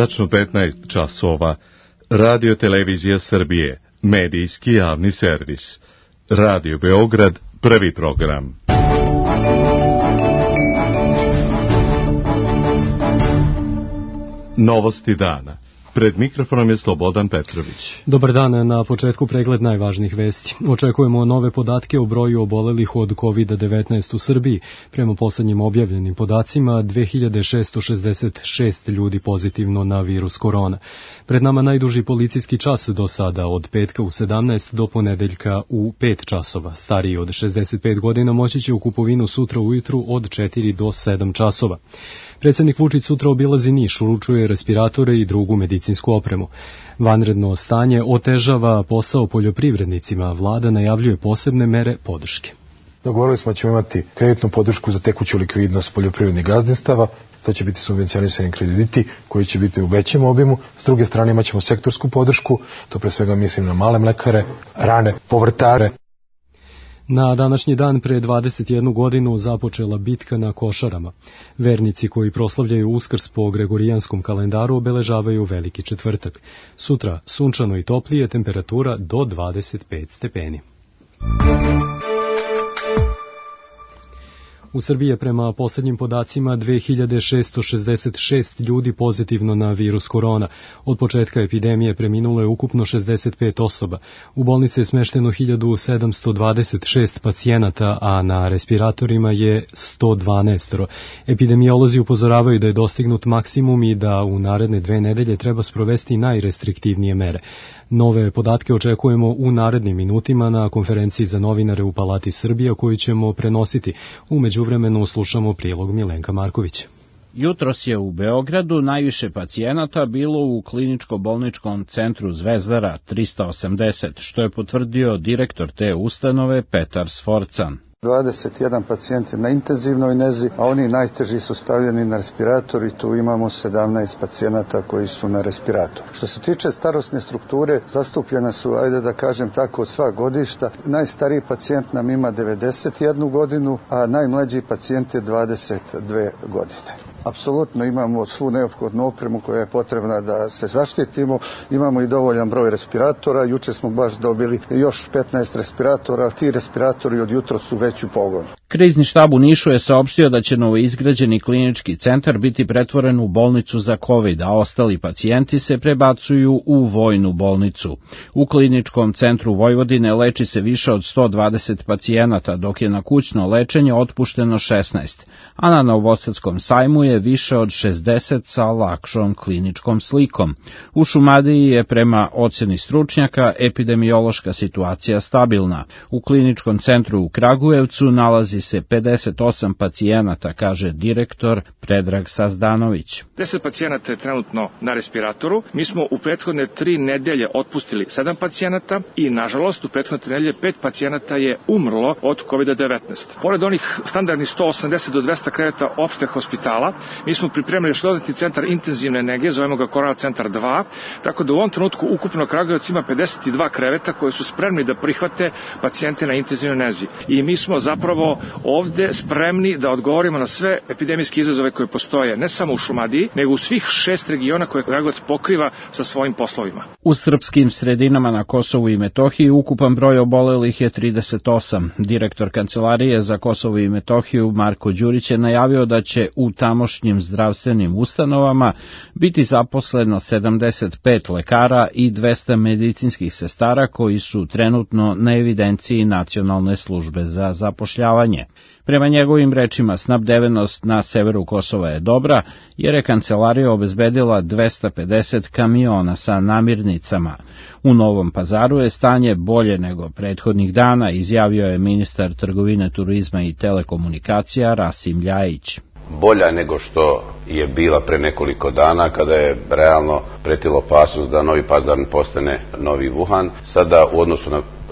Tačno 15 časova. Radio Televizija Srbije, medijski javni servis. Radio Beograd, prvi program. Novosti dana. Pred mikrofonom je Slobodan Petrović. Dobar dan, na početku pregled najvažnijih vesti. Očekujemo nove podatke o broju obolelih od COVID-19 u Srbiji. Prema poslednjim objavljenim podacima, 2666 ljudi pozitivno na virus korona. Pred nama najduži policijski čas do sada, od petka u 17 do ponedeljka u 5 časova. Stariji od 65 godina moći će u kupovinu sutra ujutru od 4 do 7 časova. Predsjednik Vučić sutra obilazi Niš, uručuje respiratore i drugu medicinsku opremu. Vanredno stanje otežava posao poljoprivrednicima, vlada najavljuje posebne mere podrške. Dogovorili smo da ćemo imati kreditnu podršku za tekuću likvidnost poljoprivrednih gazdinstava. To će biti subvencionisani krediti koji će biti u većem obimu. S druge strane imat ćemo sektorsku podršku, to pre svega mislim na male mlekare, rane, povrtare. Na današnji dan pre 21 godinu započela bitka na Košarama. Vernici koji proslavljaju Uskrs po gregorijanskom kalendaru obeležavaju Veliki četvrtak. Sutra sunčano i toplije, temperatura do 25 stepeni. U Srbiji je prema poslednjim podacima 2666 ljudi pozitivno na virus korona. Od početka epidemije preminulo je ukupno 65 osoba. U bolnici je smešteno 1726 pacijenata, a na respiratorima je 112. Epidemiolozi upozoravaju da je dostignut maksimum i da u naredne 2 nedelje treba sprovesti najrestriktivnije mere. Nove podatke očekujemo u narednim minutima na konferenciji za novinare u Palati Srbija koju ćemo prenositi. U međuvremenu slušamo prilog Milenka Markovića. Jutros je u Beogradu najviše pacijenata bilo u kliničko-bolničkom centru Zvezdara 380, što je potvrdio direktor te ustanove Petar Sforcan. 21 pacijent je na intenzivnoj nezi, a oni najteži su stavljeni na respirator i tu imamo 17 pacijenata koji su na respiratoru. Što se tiče starosne strukture, zastupljena su, ajde da kažem tako, od sva godišta. Najstariji pacijent nam ima 91 godinu, a najmlađi pacijent je 22 godine. Apsolutno imamo svu neophodnu opremu koja je potrebna da se zaštitimo. Imamo i dovoljan broj respiratora. Juče smo baš dobili još 15 respiratora. Ti respiratori od jutra su već u pogonu. Krizni štab u Nišu je saopštio da će novoizgrađeni klinički centar biti pretvoren u bolnicu za COVID, a ostali pacijenti se prebacuju u vojnu bolnicu. U kliničkom centru Vojvodine leči se više od 120 pacijenata, dok je na kućno lečenje otpušteno 16, a na Novosadskom sajmu je više od 60 sa lakšom kliničkom slikom. U Šumadiji je prema ocjeni stručnjaka epidemiološka situacija stabilna. U kliničkom centru u Kragujevcu nalazi se 58 pacijenata, kaže direktor Predrag Sazdanović. 10 pacijenata je trenutno na respiratoru. Mi smo u prethodne 3 nedelje otpustili 7 pacijenata i, nažalost, u prethodne 3 nedelje 5 pacijenata je umrlo od COVID-19. Pored onih standardnih 180 do 200 kreveta opšte hospitala, mi smo pripremili još dodatni centar intenzivne nege, zovemo ga Korona centar 2, tako da u ovom trenutku ukupno Kragujevac ima 52 kreveta koji su spremni da prihvate pacijente na intenzivnoj nezi. I mi smo zapravo ovde spremni da odgovorimo na sve epidemijske izazove koje postoje, ne samo u Šumadiji, nego u svih 6 regiona koje Kragujevac pokriva sa svojim poslovima. U srpskim sredinama na Kosovu i Metohiji ukupan broj obolelih je 38. Direktor Kancelarije za Kosovo i Metohiju Marko Đurić je najavio da će u tamošnjim zdravstvenim ustanovama biti zaposleno 75 lekara i 200 medicinskih sestara koji su trenutno na evidenciji Nacionalne službe za zapošljavanje. Prema njegovim rečima, snabdevenost na severu Kosova je dobra, jer je kancelarija obezbedila 250 kamiona sa namirnicama. U Novom Pazaru je stanje bolje nego prethodnih dana, izjavio je ministar trgovine, turizma i telekomunikacija Rasim Ljajić. Bolja nego što je bila pre nekoliko dana kada je realno pretila opasnost da Novi Pazar postane novi Wuhan. Sada u odnosu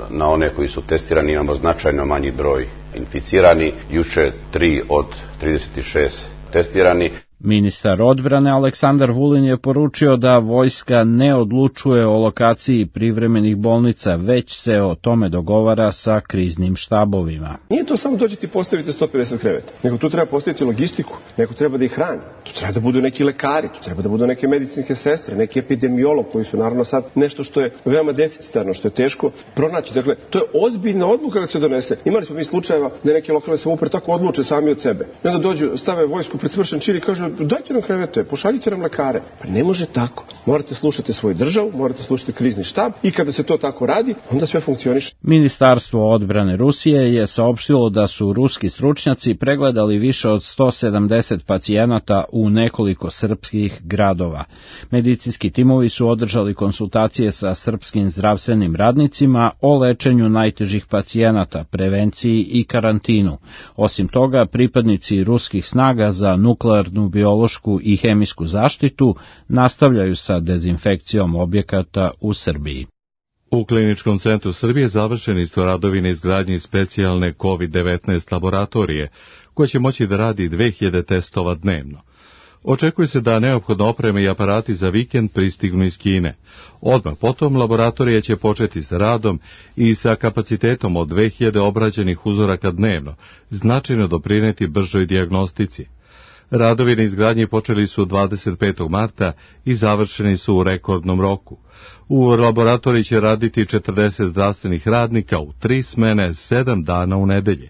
na one koji su testirani imamo značajno manji broj inficirani, juče 3 od 36 testirani. Ministar odbrane Aleksandar Vulin je poručio da vojska ne odlučuje o lokaciji privremenih bolnica, već se o tome dogovara sa kriznim štabovima. Nije to samo dođete i postavite 150 kreveta, nego tu treba postaviti logistiku, neko treba da ih hrani, tu treba da budu neki lekari, tu treba da budu neke medicinske sestre, neki epidemiolog koji su naravno sad nešto što je veoma deficitarno, što je teško pronaći. Dakle, to je ozbiljna odluka kada se donese. Imali smo mi slučajeva da neke lokalne samouprave tako odluče sami od sebe. I onda dođu, stave vojsku pred svršen čin i kažu dajte nam krevete, pošaljite nam lekare. Pa ne može tako. Morate slušati svoju državu, morate slušati krizni štab i kada se to tako radi, onda sve funkcioniše. Ministarstvo odbrane Rusije je saopštilo da su ruski stručnjaci pregledali više od 170 pacijenata u nekoliko srpskih gradova. Medicinski timovi su održali konsultacije sa srpskim zdravstvenim radnicima o lečenju najtežih pacijenata, prevenciji i karantinu. Osim toga, pripadnici ruskih snaga za nuklearnu, biološku i hemijsku zaštitu nastavljaju sa dezinfekcijom objekata u Srbiji. U Kliničkom centru Srbije završeni su radovi na izgradnji specijalne COVID-19 laboratorije, koja će moći da radi 2000 testova dnevno. Očekuje se da neophodno opreme i aparati za vikend pristignu iz Kine. Odmah potom laboratorija će početi s radom i sa kapacitetom od 2000 obrađenih uzoraka dnevno, značajno doprineti bržoj dijagnostici. Radovi na izgradnji počeli su 25. marta i završeni su u rekordnom roku. U laboratoriji će raditi 40 zdravstvenih radnika u 3 smene, 7 dana u nedelje.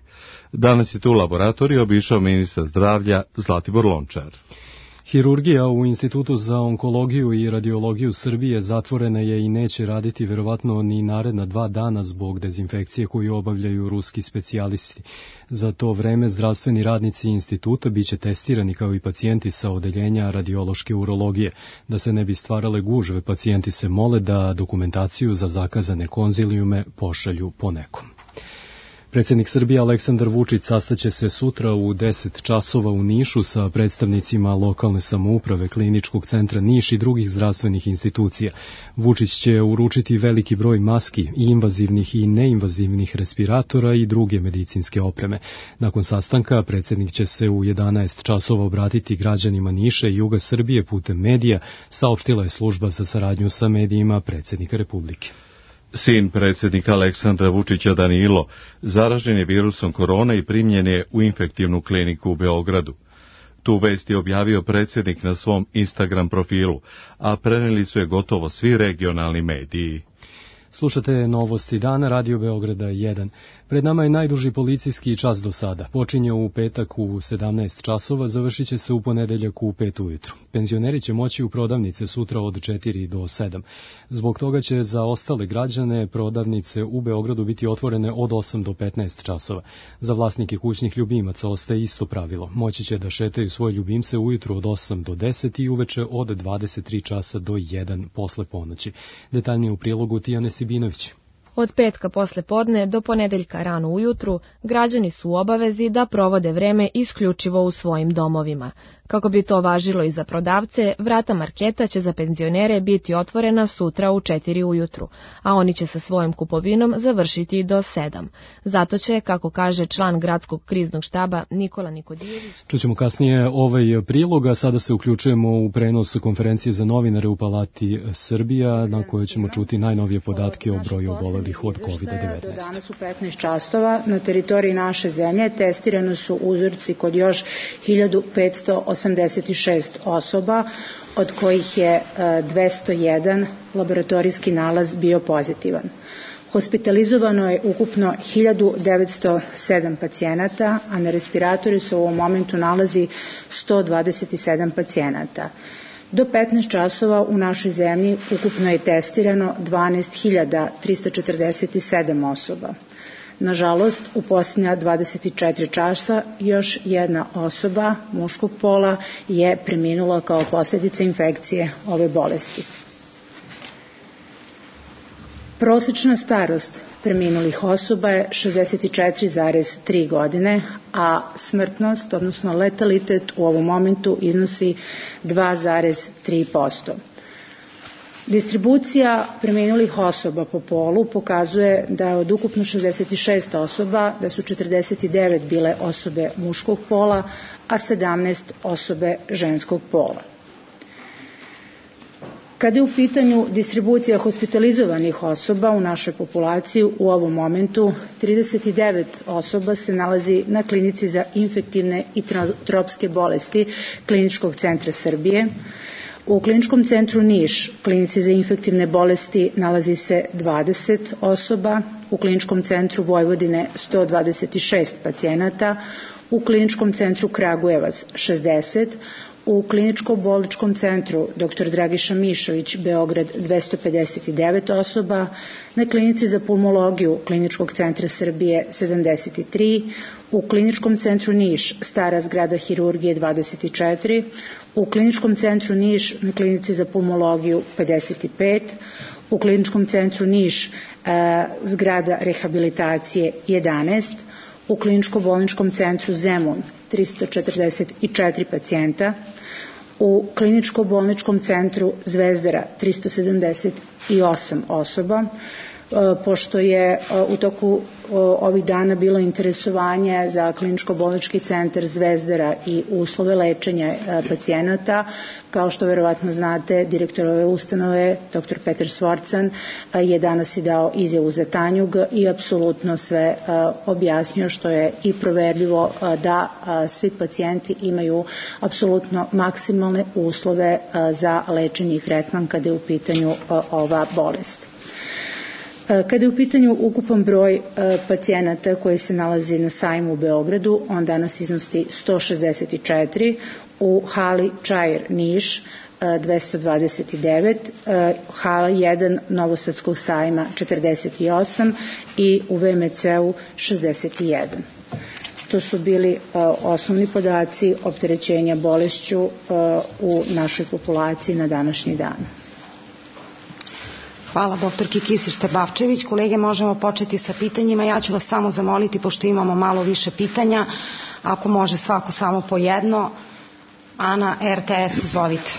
Danas je tu laboratorij obišao ministar zdravlja Zlatibor Lončar. Hirurgija u Institutu za onkologiju i radiologiju Srbije zatvorena je i neće raditi verovatno ni naredna 2 dana zbog dezinfekcije koju obavljaju ruski specijalisti. Za to vreme zdravstveni radnici instituta biće testirani kao i pacijenti sa odeljenja radiološke urologije. Da se ne bi stvarale gužve, pacijenti se mole da dokumentaciju za zakazane konzilijume pošalju po nekom. Predsjednik Srbije Aleksandar Vučić sastaće se sutra u 10 časova u Nišu sa predstavnicima lokalne samouprave, Kliničkog centra Niš i drugih zdravstvenih institucija. Vučić će uručiti veliki broj maski, i invazivnih i neinvazivnih respiratora i druge medicinske opreme. Nakon sastanka predsjednik će se u 11 časova obratiti građanima Niša i juga Srbije putem medija, saopštila je služba za saradnju sa medijima predsjednika Republike. Sin predsjednika Aleksandra Vučića Danilo zaražen je virusom korona i primljen je u infektivnu kliniku u Beogradu. Tu vest je objavio predsjednik na svom Instagram profilu, a preneli su je gotovo svi regionalni mediji. Slušate novosti dana, Radio Beograda 1. Pred nama je najduži policijski čas do sada. Počinje u petak u 17 časova, završit će se u ponedeljak u 5 ujutru. Penzioneri će moći u prodavnice sutra od 4 do 7. Zbog toga će za ostale građane prodavnice u Beogradu biti otvorene od 8 do 15 časova. Za vlasnike kućnih ljubimaca ostaje isto pravilo. Moći će da šetaju svoje ljubimce ujutru od 8 do 10 i uveče od 23 časa do 1 posle ponoći. Detaljnije u prilogu Tijane Sibinović. Od petka posle podne do ponedeljka rano ujutru građani su u obavezi da provode vreme isključivo u svojim domovima. Kako bi to važilo i za prodavce, vrata marketa će za penzionere biti otvorena sutra u 4 ujutru, a oni će sa svojom kupovinom završiti do 7. Zato će, kako kaže član gradskog kriznog štaba Nikola Nikodijević... Čućemo kasnije ovaj prilog, a sada se uključujemo u prenos konferencije za novinare u Palati Srbija, na kojoj ćemo čuti najnovije podatke o broju obolelih od COVID-19. Do danas u 15 časova na teritoriji naše zemlje testirano su uzorci kod još 1586 osoba, od kojih je 201 laboratorijski nalaz bio pozitivan. Hospitalizovano je ukupno 1907 pacijenata, a na respiratoru se u ovom momentu nalazi 127 pacijenata. Do 15 časova u našoj zemlji ukupno je testirano 12.347 osoba. Nažalost, u posljednja 24 časa još jedna osoba muškog pola je preminula kao posljedica infekcije ove bolesti. Prosečna starost preminulih osoba je 64,3 godine, a smrtnost, odnosno letalitet u ovom momentu iznosi 2,3%. Distribucija preminulih osoba po polu pokazuje da je od ukupno 66 osoba, da su 49 bile osobe muškog pola, a 17 osobe ženskog pola. Kada je u pitanju distribucija hospitalizovanih osoba u našoj populaciji, u ovom momentu 39 osoba se nalazi na klinici za infektivne i tropske bolesti Kliničkog centra Srbije. U Kliničkom centru Niš, klinici za infektivne bolesti, nalazi se 20 osoba, u Kliničkom centru Vojvodine 126 pacijenata, u Kliničkom centru Kragujevac 60, u Kliničko-bolničkom centru dr. Dragiša Mišović, Beograd 259 osoba, na klinici za pulmologiju Kliničkog centra Srbije 73, u Kliničkom centru Niš, stara zgrada hirurgije 24, u Kliničkom centru Niš na klinici za pulmologiju 55, u Kliničkom centru Niš zgrada rehabilitacije 11, u Kliničko-bolničkom centru Zemun 344 pacijenta, u Kliničko-bolničkom centru Zvezdara 378 osoba. Pošto je u toku ovih dana bilo interesovanje za Kliničko-bolnički centar Zvezdara i uslove lečenja pacijenata, kao što verovatno znate, direktor ove ustanove, dr. Petar Svorcan, je danas i dao izjavu za Tanjug i apsolutno sve objasnio, što je i proverljivo, da svi pacijenti imaju apsolutno maksimalne uslove za lečenje i tretman kada je u pitanju ova bolest. Kada je u pitanju ukupan broj pacijenata koji se nalazi na sajmu u Beogradu, on danas iznosi 164, u hali Čair Niš 229, hala 1 Novosadskog sajma 48 i u VMC-u 61. To su bili osnovni podaci opterećenja bolešću u našoj populaciji na današnji dan. Hvala doktorki Kisić-Tepavčević. Kolege, možemo početi sa pitanjima. Ja ću vas samo zamoliti, pošto imamo malo više pitanja, ako može svako samo po jedno. Ana, RTS, izvolite.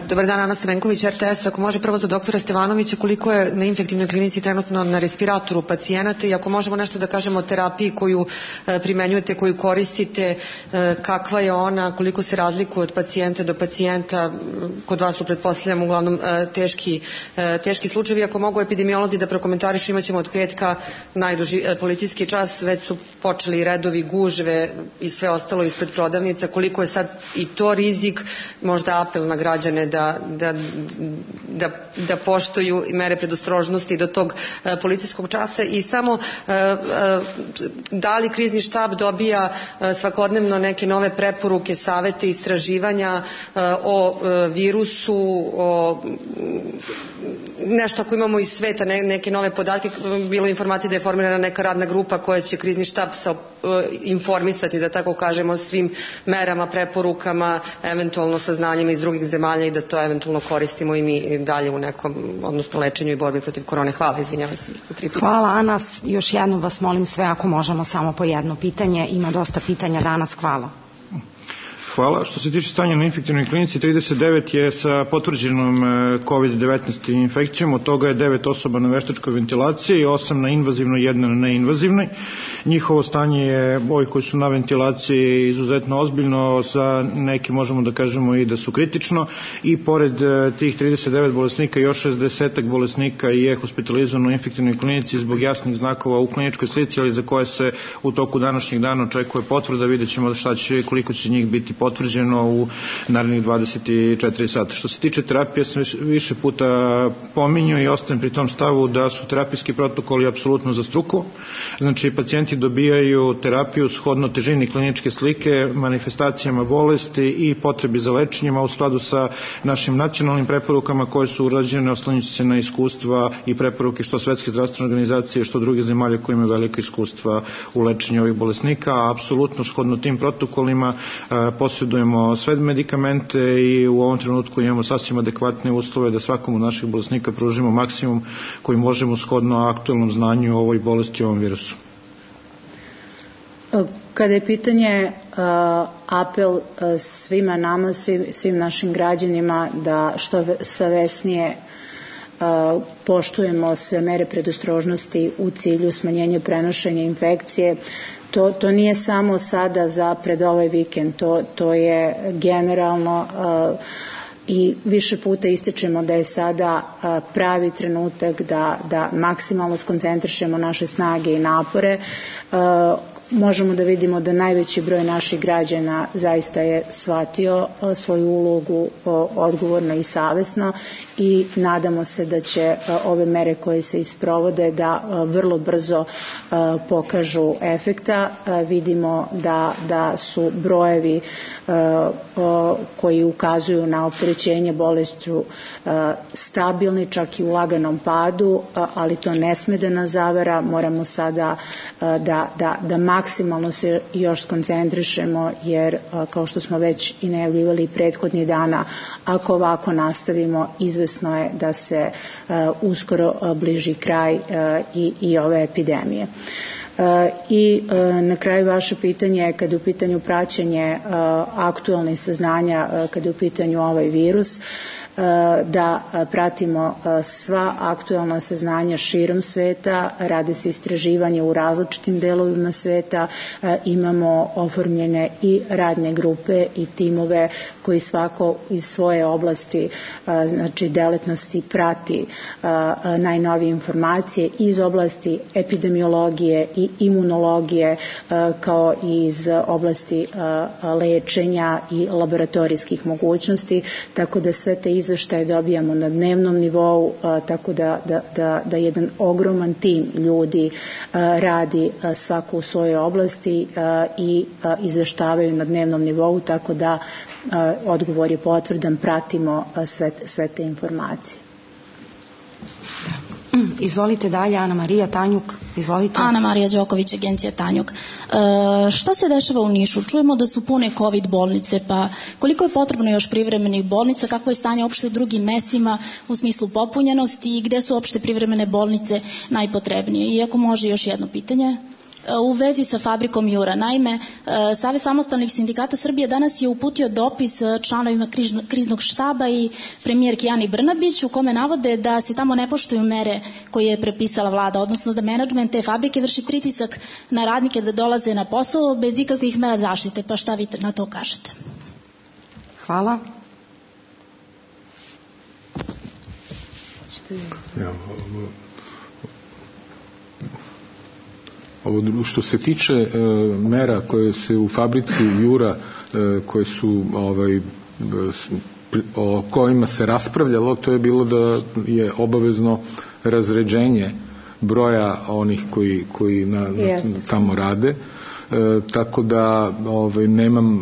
Dobar dan, Ana Stamenković, RTS. Ako može prvo za doktora Stevanovića, koliko je na infektivnoj klinici trenutno na respiratoru pacijenata i ako možemo nešto da kažemo o terapiji koju primenjujete, koju koristite, kakva je ona, koliko se razlikuje od pacijenta do pacijenta, kod vas su, pretpostavljam, uglavnom teški slučajevi. Ako mogu epidemiolozi da prokomentarišu, imat ćemo od petka najduži policijski čas, već su počeli redovi, gužve i sve ostalo ispred prodavnica, koliko je sad i to rizik, možda apel na građane da poštuju mere predostrožnosti do tog policijskog časa. I samo da li krizni štab dobija svakodnevno neke nove preporuke, savete, istraživanja o virusu, o nešto ako imamo iz sveta, neke nove podatke, bilo informacije da je formirana neka radna grupa koja će krizni štab informisati, da tako kažemo, svim merama, preporukama, eventualno saznanjima iz drugih zemalja i da to eventualno koristimo i mi dalje u nekom, odnosno lečenju i borbi protiv korone. Hvala, izvinjavam se. Hvala, Ana. Još jednom vas molim sve, ako možemo samo po jedno pitanje. Ima dosta pitanja danas. Hvala. Hvala. Što se tiče stanja na infektivnoj klinici, 39 je sa potvrđenom COVID-19 infekcijom, od toga je 9 osoba na veštačkoj ventilaciji, 8 na invazivnoj, 1 na neinvazivnoj. Njihovo stanje je, ovi koji su na ventilaciji, izuzetno ozbiljno, za neki možemo da kažemo i da su kritično, i pored tih 39 bolesnika još 60 bolesnika je hospitalizovano u infektivnoj klinici zbog jasnih znakova u kliničkoj slici, ali za koje se u toku današnjeg dana očekuje potvrda. Vidjet ćemo šta će, koliko će njih biti potvrđeno u narednih 24 sata. Što se tiče terapije, sam više puta pominjao i ostajem pri tom stavu da su terapijski protokoli apsolutno za struku. Znači, pacijenti dobijaju terapiju shodno težini kliničke slike, manifestacijama bolesti i potrebi za lečenjima u skladu sa našim nacionalnim preporukama koje su urađene oslanjajući se na iskustva i preporuke što Svetske zdravstvene organizacije, što druge zemalje koje imaju velike iskustva u lečenju ovih bolesnika, a apsolutno shodno tim protokolima posjedujemo sve medikamente i u ovom trenutku imamo sasvim adekvatne uslove da svakom od naših bolesnika pružimo maksimum koji možemo shodno aktualnom znanju o ovoj bolesti i ovom virusu. Kada je pitanje apel svima nama, svim našim građanima da što savesnije poštujemo sve mere predostrožnosti u cilju smanjenja prenošenja infekcije. To nije samo sada za pred ovaj vikend, to je generalno i više puta ističemo da je sada pravi trenutak da maksimalno skoncentrišemo naše snage i napore. Možemo da vidimo da najveći broj naših građana zaista je shvatio svoju ulogu odgovorno i savesno i nadamo se da će ove mere koje se isprovode da vrlo brzo pokažu efekta. Vidimo da su brojevi koji ukazuju na opterećenje bolešću stabilni, čak i u laganom padu, ali to ne sme da nas zavara. Moramo sada da maksimalno se još skoncentrišemo, jer kao što smo već i najavljivali prethodnih dana, ako ovako nastavimo, izvesno je da se uskoro bliži kraj i ove epidemije. I na kraju vaše pitanje, kada je u pitanju praćenje aktualnih saznanja, kada je u pitanju ovaj virus, da pratimo sva aktualna saznanja širom sveta, rade se istraživanje u različitim delovima sveta, imamo oformljene i radne grupe i timove koji svako iz svoje oblasti, znači delatnosti, prati najnovije informacije iz oblasti epidemiologije i imunologije, kao i iz oblasti lečenja i laboratorijskih mogućnosti, tako da sve te izveštaje dobijamo na dnevnom nivou, tako da jedan ogroman tim ljudi radi svako u svojoj oblasti i izveštavaju na dnevnom nivou, tako da odgovor je potvrdan, pratimo sve te informacije. Izvolite dalje, Ana Marija Tanjuk. Izvolite. Ana Marija Đoković, Agencija Tanjuk. Šta se dešava u Nišu? Čujemo da su pune COVID bolnice, pa koliko je potrebno još privremenih bolnica, kakvo je stanje uopšte u drugim mestima u smislu popunjenosti i gde su uopšte privremene bolnice najpotrebnije? I ako može još jedno pitanje. U vezi sa fabrikom Jura. Naime, Savez samostalnih sindikata Srbije danas je uputio dopis članovima kriznog štaba i premijerki Ani Brnabić u kome navode da se tamo ne poštuju mere koje je prepisala vlada, odnosno da menadžment te fabrike vrši pritisak na radnike da dolaze na posao bez ikakvih mera zaštite. Pa šta vi na to kažete? Hvala. Ovo što se tiče mera koje se u fabrici Jura koje su o kojima se raspravljalo, to je bilo da je obavezno razređenje broja onih koji tamo rade, tako da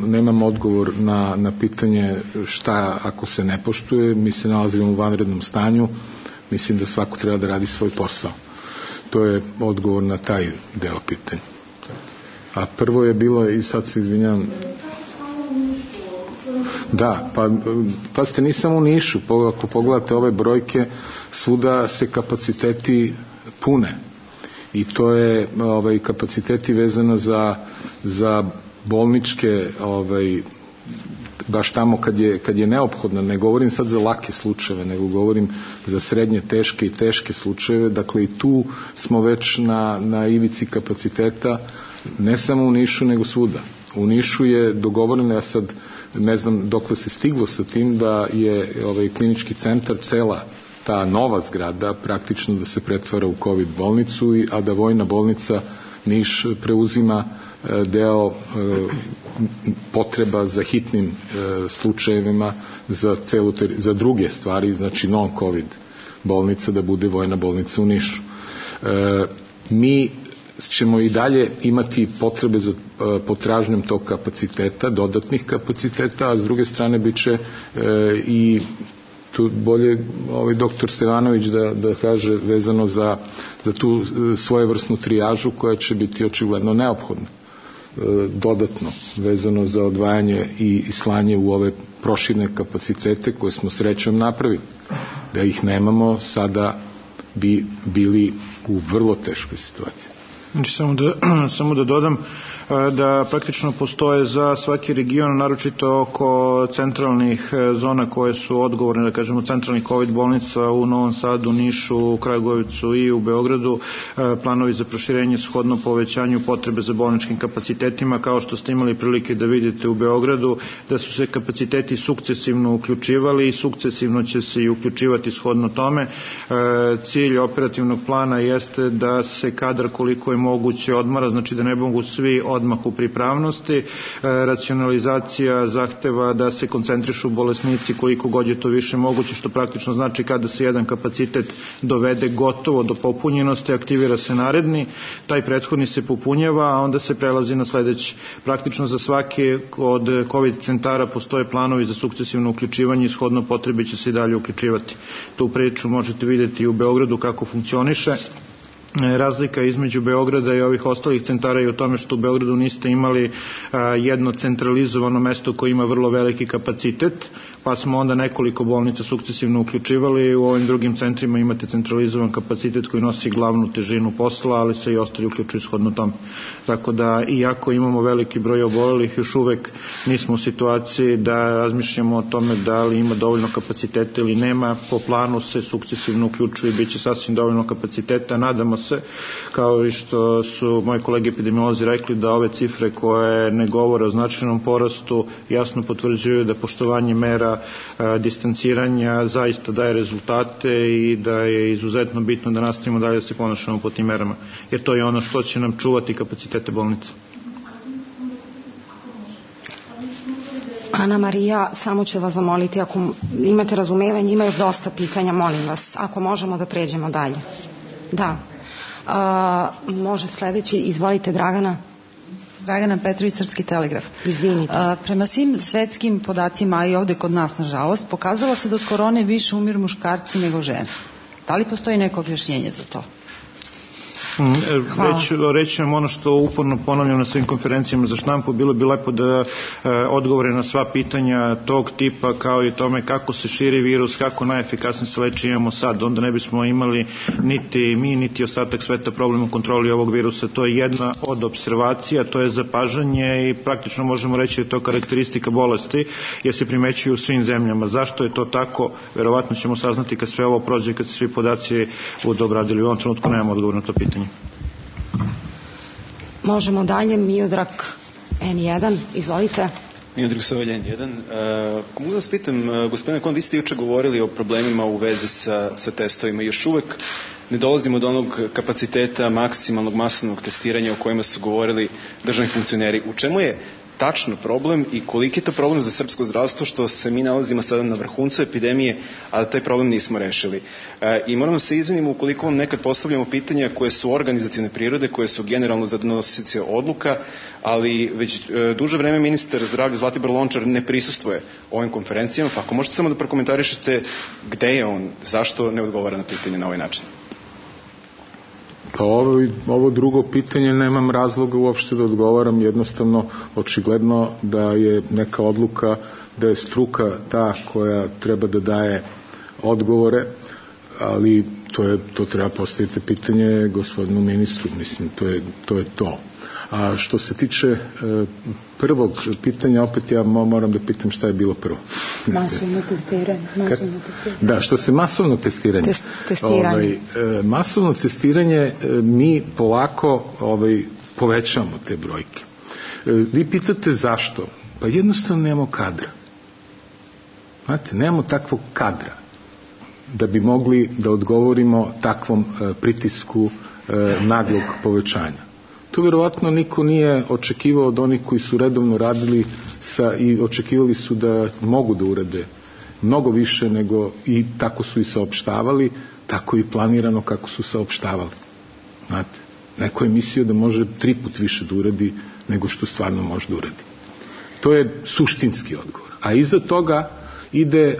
nemam odgovor na pitanje šta ako se ne poštuje. Mi se nalazimo u vanrednom stanju, mislim da svako treba da radi svoj posao. To je odgovor na taj deo pitanja. A prvo je bilo, i sad se izvinjam, da, pa ste nisam u Nišu, ako pogledate ove brojke, svuda se kapaciteti pune i to je kapaciteti vezano za bolničke baš tamo kad je neophodno, ne govorim sad za lake slučajeve, nego govorim za srednje teške i teške slučajeve, dakle i tu smo već na ivici kapaciteta, ne samo u Nišu nego svuda. U Nišu je dogovoreno, ja sad ne znam dokle se stiglo sa tim, da je klinički centar, cela ta nova zgrada praktično da se pretvara u COVID bolnicu, a da vojna bolnica Niš preuzima deo potreba za hitnim slučajevima za druge stvari, znači non-COVID bolnica da bude vojna bolnica u Nišu. Mi ćemo i dalje imati potrebe za potražnjom tog kapaciteta, dodatnih kapaciteta, a s druge strane bit će i tu bolje doktor Stevanović da kaže vezano za tu svojevrsnu trijažu koja će biti očigledno neophodna dodatno vezano za odvajanje i slanje u ove proširne kapacitete koje smo srećom napravili. Da ih nemamo, sada bi bili u vrlo teškoj situaciji. Znači, samo da dodam da praktično postoje za svaki region, naročito oko centralnih zona koje su odgovorne, da kažemo, centralnih COVID bolnica u Novom Sadu, Nišu, Kragujevicu i u Beogradu, planovi za proširenje shodno povećanju potrebe za bolničkim kapacitetima, kao što ste imali prilike da vidite u Beogradu, da su se kapaciteti sukcesivno uključivali i sukcesivno će se i uključivati shodno tome. Cilj operativnog plana jeste da se kadar koliko je moguće odmara, znači da ne mogu svi odmah u pripravnosti. Racionalizacija zahteva da se koncentrišu bolesnici koliko god je to više moguće, što praktično znači kada se jedan kapacitet dovede gotovo do popunjenosti, aktivira se naredni, taj prethodni se popunjava, a onda se prelazi na sledeći. Praktično za svaki od COVID centara postoje planovi za sukcesivno uključivanje i shodno potrebi će se i dalje uključivati. Tu priču možete vidjeti i u Beogradu kako funkcioniše. Razlika između Beograda i ovih ostalih centara je u tome što u Beogradu niste imali jedno centralizovano mesto koje ima vrlo veliki kapacitet, pa smo onda nekoliko bolnica sukcesivno uključivali. U ovim drugim centrima imate centralizovan kapacitet koji nosi glavnu težinu posla, ali se i ostali uključuju shodno tome. Tako da, iako imamo veliki broj obolelih, još uvek nismo u situaciji da razmišljamo o tome da li ima dovoljno kapaciteta ili nema. Po planu se sukcesivno uključuje i bit će sasvim dovoljno kapaciteta. Nadamo se, kao i što su moji kolege epidemiolozi rekli, da ove cifre koje ne govore o značajnom porastu jasno potvrđuju da poštovanje mera distanciranja zaista daje rezultate i da je izuzetno bitno da nastavimo dalje da se ponašamo po tim merama, jer to je ono što će nam čuvati kapacitete bolnica. Ana Marija, samo ću vas zamoliti, ako imate razumevanje, ima još dosta pitanja, molim vas, ako možemo da pređemo dalje. Da. Može sledeći, izvolite Dragana. Dragana Petrović, Srpski telegraf. Izvinite. Prema svim svetskim podacima, i ovde kod nas nažalost, pokazalo se da od korone više umiru muškarci nego žene. Da li postoji neko objašnjenje za to? Reći vam ono što uporno ponavljam na svim konferencijama za štampu, bilo bi lepo da odgovore na sva pitanja tog tipa, kao i tome kako se širi virus, kako najefikasnije se leči imamo sad, onda ne bismo imali niti mi, niti ostatak sveta problem u kontroli ovog virusa. To je jedna od observacija, to je zapažanje i praktično možemo reći da je to karakteristika bolesti, jer se primećuju u svim zemljama. Zašto je to tako? Verovatno ćemo saznati kad sve ovo prođe, kad se svi podaci budu obradili. U ovom trenutku nemamo odgovor na to pitanje. Možemo dalje, Miodrag N1, izvolite. Miodrag Sovalj N1. Mogu da vas pitam, gospodine Kon, vi ste juče govorili o problemima u vezi sa testovima. Još uvek ne dolazimo do onog kapaciteta maksimalnog masovnog testiranja o kojima su govorili državni funkcioneri. U čemu je tačno problem i koliki je to problem za srpsko zdravstvo što se mi nalazimo sada na vrhuncu epidemije, a da taj problem nismo rešili. I moram se izvinimo ukoliko vam nekad postavljamo pitanja koje su organizacione prirode, koje su generalno za donosioce odluka, ali već duže vreme ministar zdravlja Zlatibor Lončar ne prisustvuje ovim konferencijama, pa ako možete samo da prokomentarišete gde je on, zašto ne odgovara na pitanje na ovaj način? Pa ovo drugo pitanje nemam razloga uopšte da odgovaram, jednostavno očigledno da je neka odluka, da je struka ta koja treba da daje odgovore, ali to treba postaviti pitanje gospodinu ministru, mislim, to je to. A što se tiče prvog pitanja, opet ja moram da pitam šta je bilo prvo. Masovno testiranje. Da, što se masovnog testiranja. Masovno testiranje mi polako povećamo te brojke. Vi pitate zašto? Pa jednostavno nemamo kadra. Znate, nemamo takvog kadra da bi mogli da odgovorimo takvom pritisku naglog povećanja. To vjerovatno niko nije očekivao od onih koji su redovno radili i očekivali su da mogu da urade mnogo više nego i tako su i saopštavali, tako i planirano kako su saopštavali. Znate, neko je mislio da može 3 put više da uradi nego što stvarno može da uradi. To je suštinski odgovor. A iza toga ide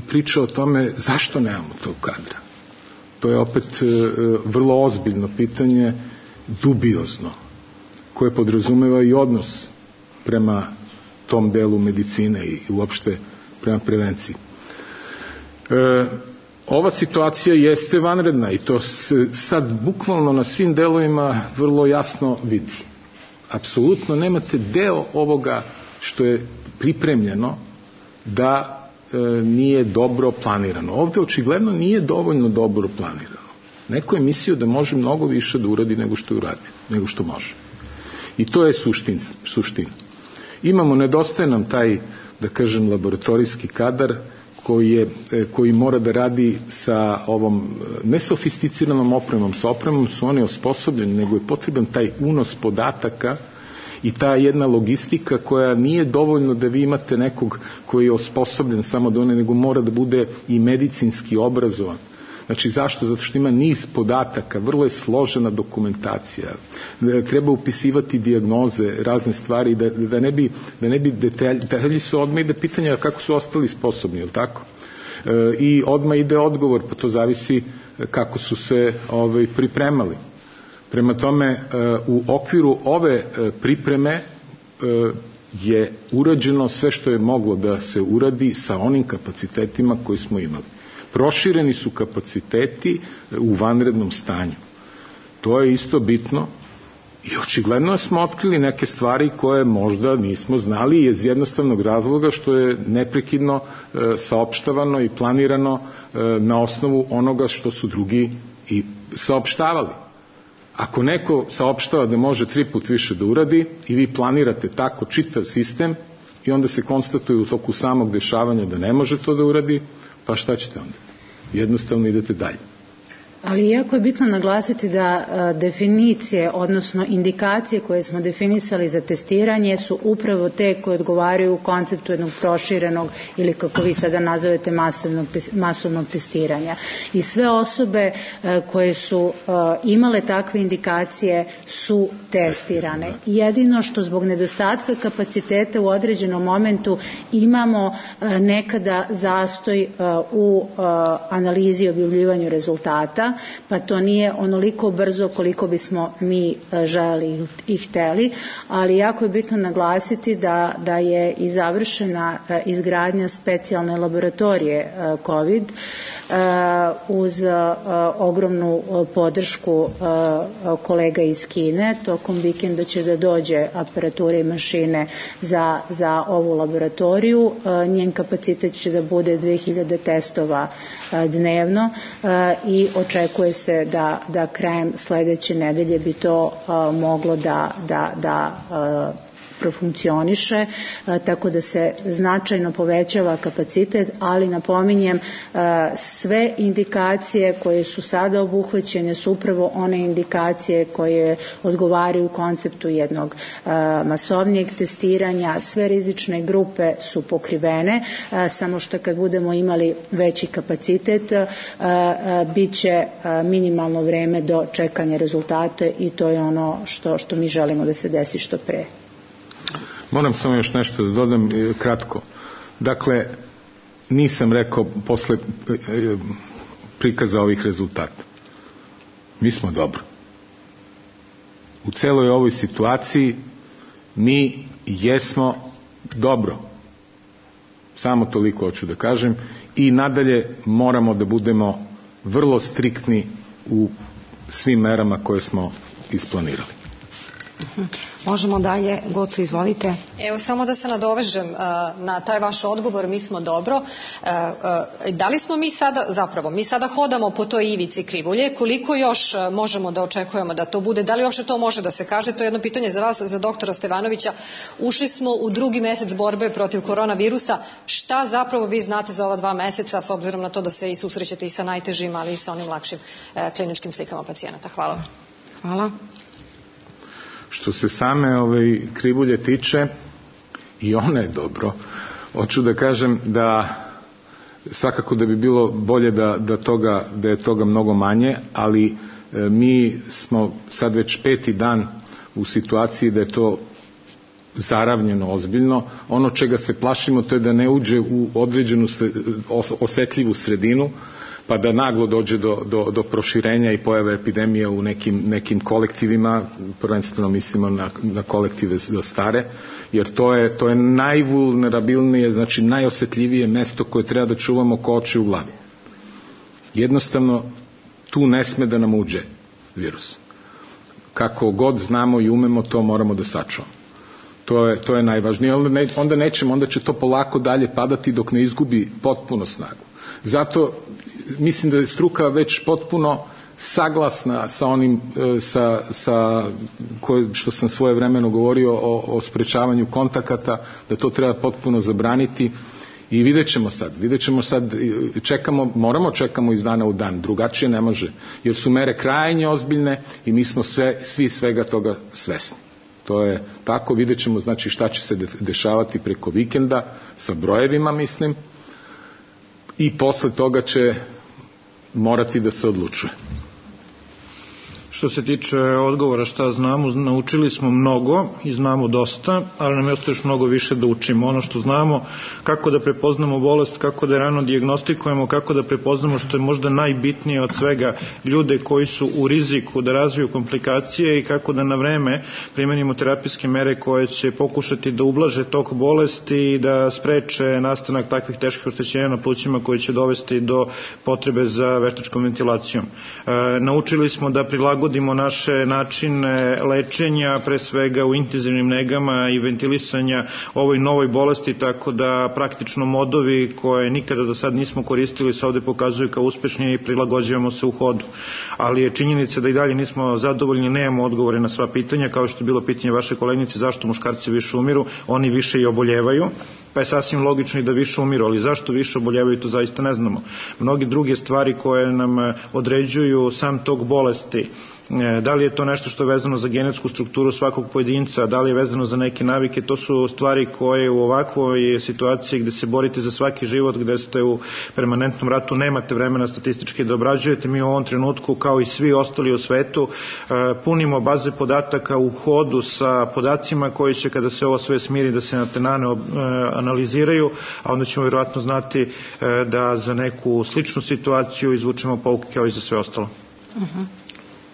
priča o tome zašto nemamo tog kadra. To je opet vrlo ozbiljno pitanje, dubiozno, koje podrazumeva i odnos prema tom delu medicine i uopšte prema prevenciji. Ova situacija jeste vanredna i to se sad bukvalno na svim delovima vrlo jasno vidi. Apsolutno nemate deo ovoga što je pripremljeno da nije dobro planirano. Ovde očigledno nije dovoljno dobro planirano. Neko je mislio da može mnogo više da uradi nego što je uradio, nego što može. I to je suština. Nedostaje nam taj, da kažem, laboratorijski kadar koji mora da radi sa ovom nesofisticiranom opremom. Sa opremom su oni osposobljeni, nego je potreban taj unos podataka i ta jedna logistika koja nije dovoljno da vi imate nekog koji je osposobljen samo da nego mora da bude i medicinski obrazovan. Znači zašto? Zato što ima niz podataka, vrlo je složena dokumentacija, treba upisivati dijagnoze, razne stvari, da ne bi detalji su odmah ide pitanja kako su ostali sposobni, je li tako? I odmah ide odgovor, pa to zavisi kako su se pripremali. Prema tome, u okviru ove pripreme je urađeno sve što je moglo da se uradi sa onim kapacitetima koji smo imali. Prošireni su kapaciteti u vanrednom stanju. To je isto bitno i očigledno smo otkrili neke stvari koje možda nismo znali iz jednostavnog razloga što je neprekidno saopštavano i planirano na osnovu onoga što su drugi i saopštavali. Ako neko saopštava da može 3 puta više da uradi i vi planirate tako čitav sistem i onda se konstatuje u toku samog dešavanja da ne može to da uradi, pa šta ćete onda? Jednostavno idete dalje. Ali jako je bitno naglasiti da definicije, odnosno indikacije koje smo definisali za testiranje su upravo te koje odgovaraju konceptu jednog proširenog ili kako vi sada nazovete masovnog testiranja. I sve osobe koje su imale takve indikacije su testirane. Jedino što zbog nedostatka kapaciteta u određenom momentu imamo nekada zastoj u analizi i objavljivanju rezultata, pa to nije onoliko brzo koliko bismo mi želeli i hteli, ali jako je bitno naglasiti da je i završena izgradnja specijalne laboratorije COVID uz ogromnu podršku kolega iz Kine. Tokom vikenda će da dođe aparatura i mašine za ovu laboratoriju. Njen kapacitet će da bude 2000 testova dnevno i očekuje se da krajem sledeće nedelje bi to moglo da profunkcioniše, tako da se značajno povećava kapacitet, ali napominjem sve indikacije koje su sada obuhvaćene su upravo one indikacije koje odgovaraju konceptu jednog masovnijeg testiranja, sve rizične grupe su pokrivene, samo što kad budemo imali veći kapacitet bit će minimalno vreme do čekanja rezultata i to je ono što mi želimo da se desi što pre. Moram samo još nešto da dodam kratko. Dakle, nisam rekao posle prikaza ovih rezultata. Mi smo dobro. U celoj ovoj situaciji mi jesmo dobro. Samo toliko hoću da kažem i nadalje moramo da budemo vrlo striktni u svim merama koje smo isplanirali. Možemo dalje, Gocu, izvolite. Evo, samo da se nadovežem na taj vaš odgovor, mi smo dobro. Da li smo mi sada hodamo po toj ivici krivulje, koliko još možemo da očekujemo da to bude, da li uopšte to može da se kaže, to je jedno pitanje za vas, za doktora Stevanovića. Ušli smo u 2. mesec borbe protiv koronavirusa, šta zapravo vi znate za ova 2 meseca, s obzirom na to da se i susrećete i sa najtežim, ali i sa onim lakšim kliničkim slikama pacijenata? Hvala. Hvala. Što se same krivulje tiče, i ona je dobro. Hoću da kažem da svakako da bi bilo bolje da je toga mnogo manje, ali mi smo sad već 5. dan u situaciji da je to zaravnjeno ozbiljno. Ono čega se plašimo to je da ne uđe u određenu osetljivu sredinu, pa da naglo dođe do proširenja i pojave epidemije u nekim kolektivima, prvenstveno mislimo na kolektive stare, jer to je najvulnerabilnije, znači najosetljivije mesto koje treba da čuvamo ko oči u glavi. Jednostavno, tu ne sme da nam uđe virus. Kako god znamo i umemo, to moramo da sačuvamo. To je najvažnije. Onda će to polako dalje padati dok ne izgubi potpuno snagu. Zato mislim da je struka već potpuno saglasna sa onim što sam svojevremeno govorio o sprečavanju kontakata, da to treba potpuno zabraniti i vidjet ćemo sad, čekamo iz dana u dan, drugačije ne može, jer su mere krajnje ozbiljne i mi smo svi svega toga svesni. To je tako, vidjet ćemo znači šta će se dešavati preko vikenda sa brojevima, mislim, i posle toga će morati da se odlučuje. Što se tiče odgovora šta znamo, naučili smo mnogo i znamo dosta, ali nam je ostalo još mnogo više da učimo. Ono što znamo, kako da prepoznamo bolest, kako da je rano dijagnostikujemo, kako da prepoznamo što je možda najbitnije od svega ljude koji su u riziku da razviju komplikacije i kako da na vreme primenimo terapijske mere koje će pokušati da ublaže tok bolesti i da spreče nastanak takvih teških oštećenja na plućima koji će dovesti do potrebe za veštačkom ventilacijom. Naučili smo da prilagodimo naše načine lečenja, pre svega u intenzivnim negama i ventilisanja ovoj novoj bolesti, tako da praktično modovi koje nikada do sad nismo koristili se ovde pokazuju kao uspešni i prilagođavamo se u hodu. Ali je činjenica da i dalje nismo zadovoljni, nemamo odgovore na sva pitanja, kao što je bilo pitanje vaše kolegnice zašto muškarci više umiru, oni više i oboljevaju, pa je sasvim logično i da više umiru, ali zašto više oboljevaju, to zaista ne znamo. Mnogi druge stvari koje nam određuju sam tok bolesti, da li je to nešto što je vezano za genetsku strukturu svakog pojedinca, da li je vezano za neke navike, to su stvari koje u ovakvoj situaciji gde se borite za svaki život, gde ste u permanentnom ratu, nemate vremena statistički da obrađujete. Mi u ovom trenutku, kao i svi ostali u svetu, punimo baze podataka u hodu sa podacima koji će, kada se ovo sve smiri, da se na tenane analiziraju, a onda ćemo vjerojatno znati da za neku sličnu situaciju izvučemo pouke kao i za sve ostalo.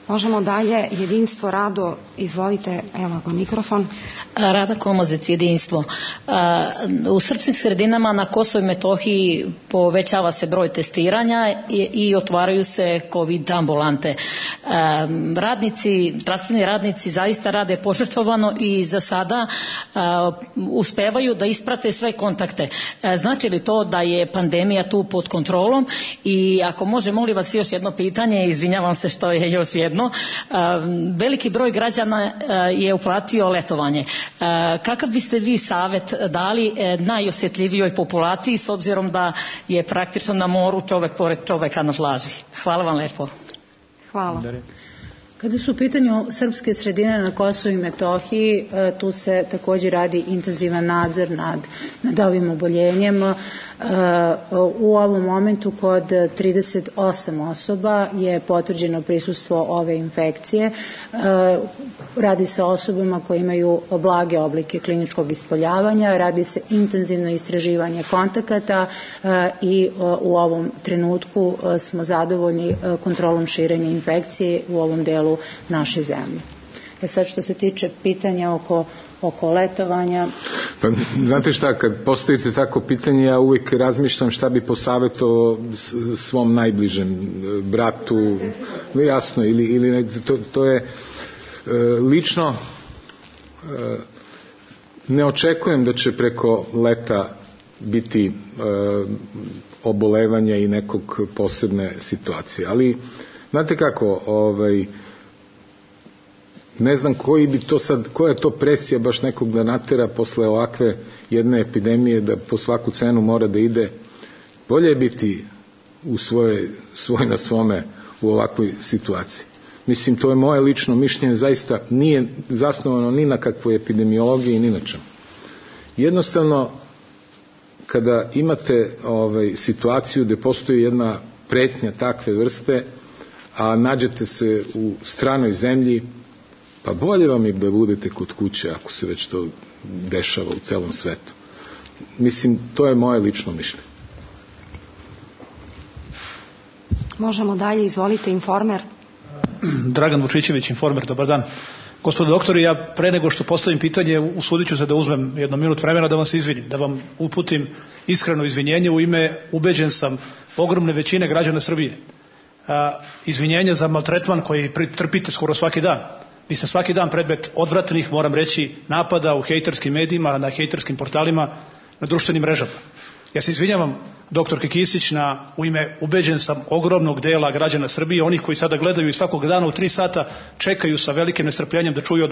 Možemo dalje, jedinstvo, Rado, izvolite, evo ga mikrofon. Rada Komozec, jedinstvo. U srpskim sredinama na Kosovu i Metohiji povećava se broj testiranja i otvaraju se COVID ambulante. Zdravstveni radnici zaista rade požrtvovano i za sada uspevaju da isprate sve kontakte. Znači li to da je pandemija tu pod kontrolom? I ako može, molim vas još jedno pitanje, izvinjavam se što je još jedno. Veliki broj građana je uplatio letovanje. Kakav biste vi savjet dali najosjetljivijoj populaciji s obzirom da je praktično na moru čovek pored čoveka na plaži? Hvala vam lepo. Hvala. Kada su u pitanju srpske sredine na Kosovu i Metohiji, tu se također radi intenzivan nadzor nad ovim oboljenjem. U ovom momentu kod 38 osoba je potvrđeno prisustvo ove infekcije. Radi se o osobama koje imaju blage oblike kliničkog ispoljavanja, radi se intenzivno istraživanje kontakata i u ovom trenutku smo zadovoljni kontrolom širenja infekcije u ovom delu naše zemlje. Sad što se tiče pitanja oko letovanja. Pa, znate šta, kad postavite tako pitanje, ja uvijek razmišljam šta bi posavjetovao svom najbližem bratu, jasno, ili to je lično ne očekujem da će preko leta biti obolevanja i nekog posebne situacije, ali znate kako, ne znam koja je to presija baš nekog da natera posle ovakve jedne epidemije da po svaku cenu mora da ide. Bolje je biti u svoj na svome u ovakvoj situaciji. Mislim, to je moje lično mišljenje, zaista nije zasnovano ni na kakvoj epidemiologiji ni na čemu. Jednostavno, kada imate situaciju gde postoji jedna pretnja takve vrste, a nađete se u stranoj zemlji, pa bolje vam je da budete kod kuće ako se već to dešava u celom svetu. Mislim, to je moje lično mišljenje. Možemo dalje, izvolite, Informer. Dragan Vučićević, Informer, dobar dan. Gospodo doktori, ja pre nego što postavim pitanje, usudit ću se da uzmem 1 minut vremena da vam se izvinim, da vam uputim iskreno izvinjenje u ime, ubeđen sam, ogromne većine građana Srbije. Izvinjenje za maltretman koji trpite skoro svaki dan. Vi ste svaki dan predmet odvratnih, moram reći, napada u hejterskim medijima, na hejterskim portalima, na društvenim mrežama. Ja se izvinjavam, doktorke Kisić, u ime, ubeđen sam, ogromnog dela građana Srbije, onih koji sada gledaju i svakog dana u 3 sata čekaju sa velikim nestrpljenjem da čuju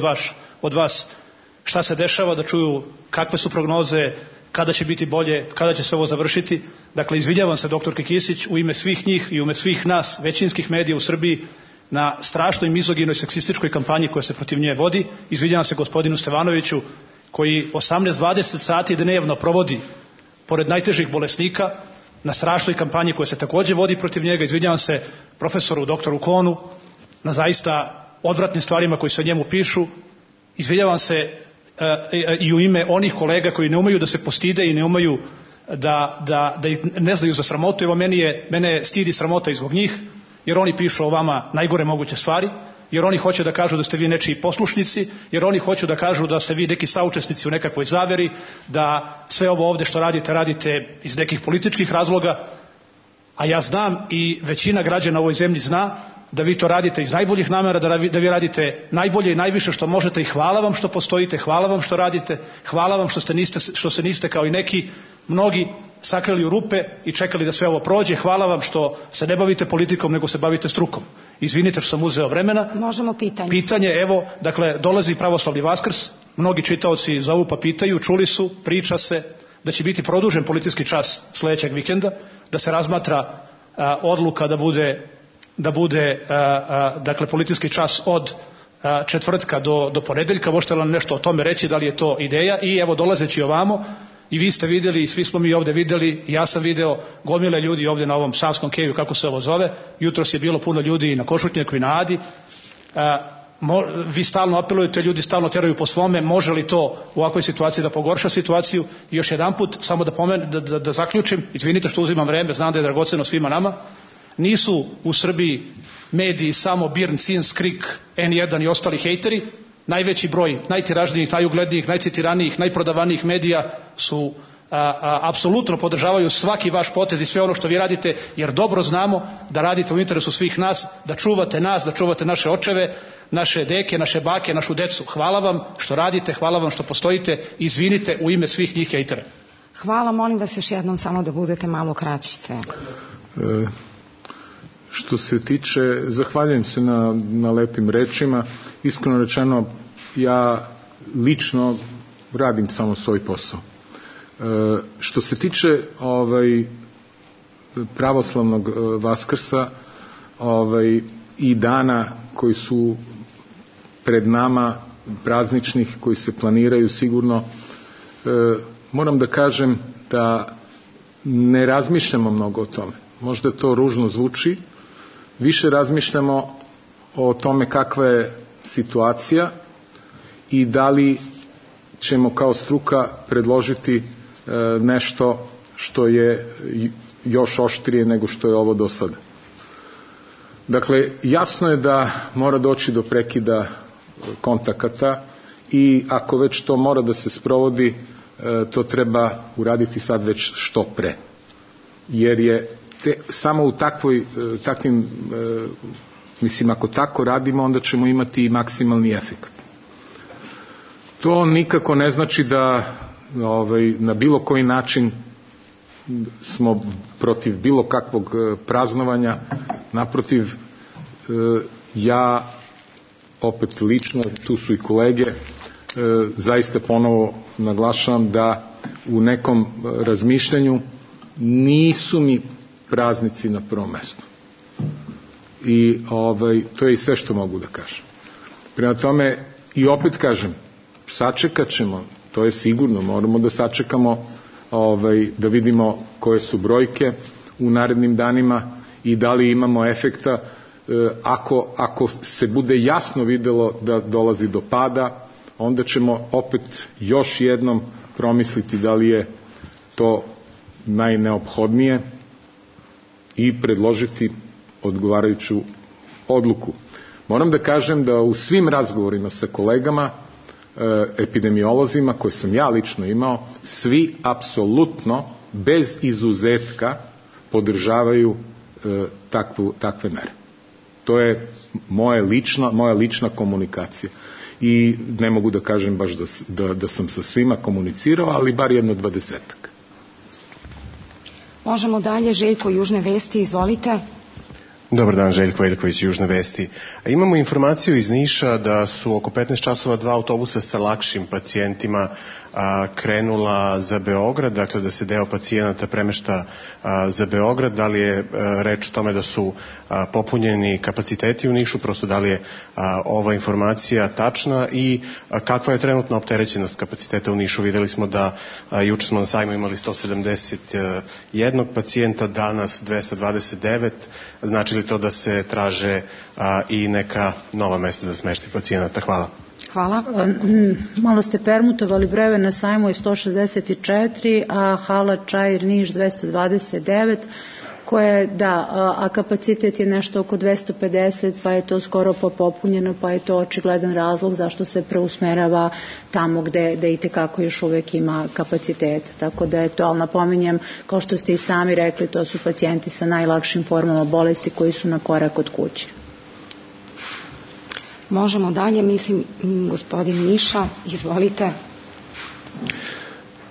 od vas šta se dešava, da čuju kakve su prognoze, kada će biti bolje, kada će se ovo završiti. Dakle, izvinjavam se doktorke Kisić u ime svih njih i u ime svih nas, većinskih medija u Srbiji, na strašnoj mizoginoj seksističkoj kampanji koja se protiv nje vodi. Izvinjavam se gospodinu Stevanoviću koji 18-20 sati dnevno provodi pored najtežih bolesnika na strašnoj kampanji koja se takođe vodi protiv njega. Izvinjavam se profesoru doktoru Konu na zaista odvratnim stvarima koji se o njemu pišu. Izvinjavam se i u ime onih kolega koji ne umeju da se postide i ne umeju da ne znaju za sramotu. Evo, mene stidi sramota i zbog njih, jer oni pišu o vama najgore moguće stvari, jer oni hoće da kažu da ste vi nečiji poslušnici, jer oni hoće da kažu da ste vi neki saučesnici u nekakvoj zaveri, da sve ovo ovde što radite iz nekih političkih razloga, a ja znam i većina građana u ovoj zemlji zna da vi to radite iz najboljih namera, da vi radite najbolje i najviše što možete i hvala vam što postojite, hvala vam što radite, hvala vam što se niste kao i neki mnogi sakrili u rupe i čekali da sve ovo prođe, hvala vam što se ne bavite politikom nego se bavite strukom. Izvinite što sam uzeo vremena. Možemo pitanje. Pitanje, evo, dakle, dolazi pravoslavni Vaskrs, mnogi čitaoci zovu pa pitaju, čuli su, priča se da će biti produžen policijski čas sledećeg vikenda, da se razmatra odluka da bude dakle, policijski čas od četvrtka do ponedeljka. Možete li nam nešto o tome reći, da li je to ideja? I evo, dolazeći ovamo, i vi ste vidjeli i svi smo mi ovde videli, ja sam video gomile ljudi ovde na ovom Savskom keju, kako se ovo zove, jutros je bilo puno ljudi i na Košutnjaku i na Adi, vi stalno apelujete, ljudi stalno teraju po svome, može li to u ovakvoj situaciji da pogorša situaciju? I još jedan put, samo da zaključim, izvinite što uzimam vreme, znam da je dragoceno svima nama, nisu u Srbiji mediji samo Birn, Cins, Krik, N1 i ostali hejteri. Najveći broj najtiražnijih, najuglednijih, najcitiranijih, najprodavanijih medija su apsolutno podržavaju svaki vaš potez i sve ono što vi radite, jer dobro znamo da radite u interesu svih nas, da čuvate nas, da čuvate naše očeve, naše deke, naše bake, našu decu. Hvala vam što radite, hvala vam što postojite, izvinite u ime svih njih hejtera. Hvala, molim vas još jednom samo da budete malo kraći sve. Što se tiče, zahvaljujem se na lepim rečima. Iskreno rečeno, ja lično radim samo svoj posao. Što se tiče pravoslavnog Vaskrsa i dana koji su pred nama, prazničnih, koji se planiraju sigurno, moram da kažem da ne razmišljamo mnogo o tome. Možda to ružno zvuči, više razmišljamo o tome kakva je situacija i da li ćemo kao struka predložiti nešto što je još oštrije nego što je ovo do sada. Dakle, jasno je da mora doći do prekida kontakata i ako već to mora da se sprovodi, to treba uraditi sad već što pre. Jer je samo u takvim, mislim, ako tako radimo, onda ćemo imati i maksimalni efekt. To nikako ne znači da na bilo koji način smo protiv bilo kakvog praznovanja. Naprotiv, ja opet lično, tu su i kolege, zaista ponovo naglašavam da u nekom razmišljanju nisu mi praznici na prvom mestu. I to je i sve što mogu da kažem. Prema tome, i opet kažem, sačekat ćemo, to je sigurno, moramo da sačekamo da vidimo koje su brojke u narednim danima i da li imamo efekta. Ako se bude jasno videlo da dolazi do pada, onda ćemo opet još jednom promisliti da li je to najneophodnije i predložiti odgovarajuću odluku. Moram da kažem da u svim razgovorima sa kolegama, epidemiolozima koje sam ja lično imao, svi apsolutno bez izuzetka podržavaju takve mere. To je moja lična komunikacija. I ne mogu da kažem baš da sam sa svima komunicirao, ali bar 20-ak. Možemo dalje, Željko, Južne vesti, izvolite. Dobar dan, Željko Veljković, Južne vesti. Imamo informaciju iz Niša da su oko 15 časova 2 autobusa sa lakšim pacijentima krenula za Beograd, dakle da se deo pacijenata premešta za Beograd. Da li je reč o tome da su popunjeni kapaciteti u Nišu, prosto da li je ova informacija tačna i kakva je trenutna opterećenost kapaciteta u Nišu? Videli smo da juče smo na sajmu imali 171 pacijenta, danas 229, znači li to da se traže i neka nova mesta za smeštaj pacijenata? Hvala. Hvala. Malo ste permutovali brojeve, na sajmu je 164, a hala Čair Niš 229, koje, da, a kapacitet je nešto oko 250, pa je to skoro popunjeno, pa je to očigledan razlog zašto se preusmerava tamo gde i tekako još uvek ima kapacitet. Tako da je to, ali napominjem, kao što ste i sami rekli, to su pacijenti sa najlakšim formama bolesti koji su na korak od kuće. Možemo dalje, mislim, gospodin Miša, izvolite.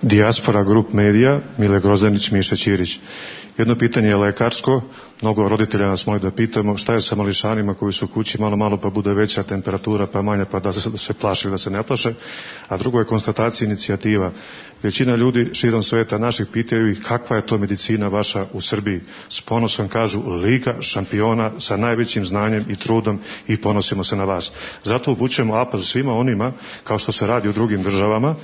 Dijaspora Grup Medija, Mile Grozdanić, Miša Ćirić. Jedno pitanje je lekarsko, mnogo roditelja nas moli da pitamo šta je sa mališanima koji su u kući, malo pa bude veća temperatura pa manja pa da se plaše da se ne plaše, a drugo je konstatacija inicijativa. Većina ljudi širom sveta naših pitaju ih kakva je to medicina vaša u Srbiji. S ponosom kažu liga šampiona sa najvećim znanjem i trudom i ponosimo se na vas. Zato upućujemo apel svima onima, kao što se radi u drugim državama,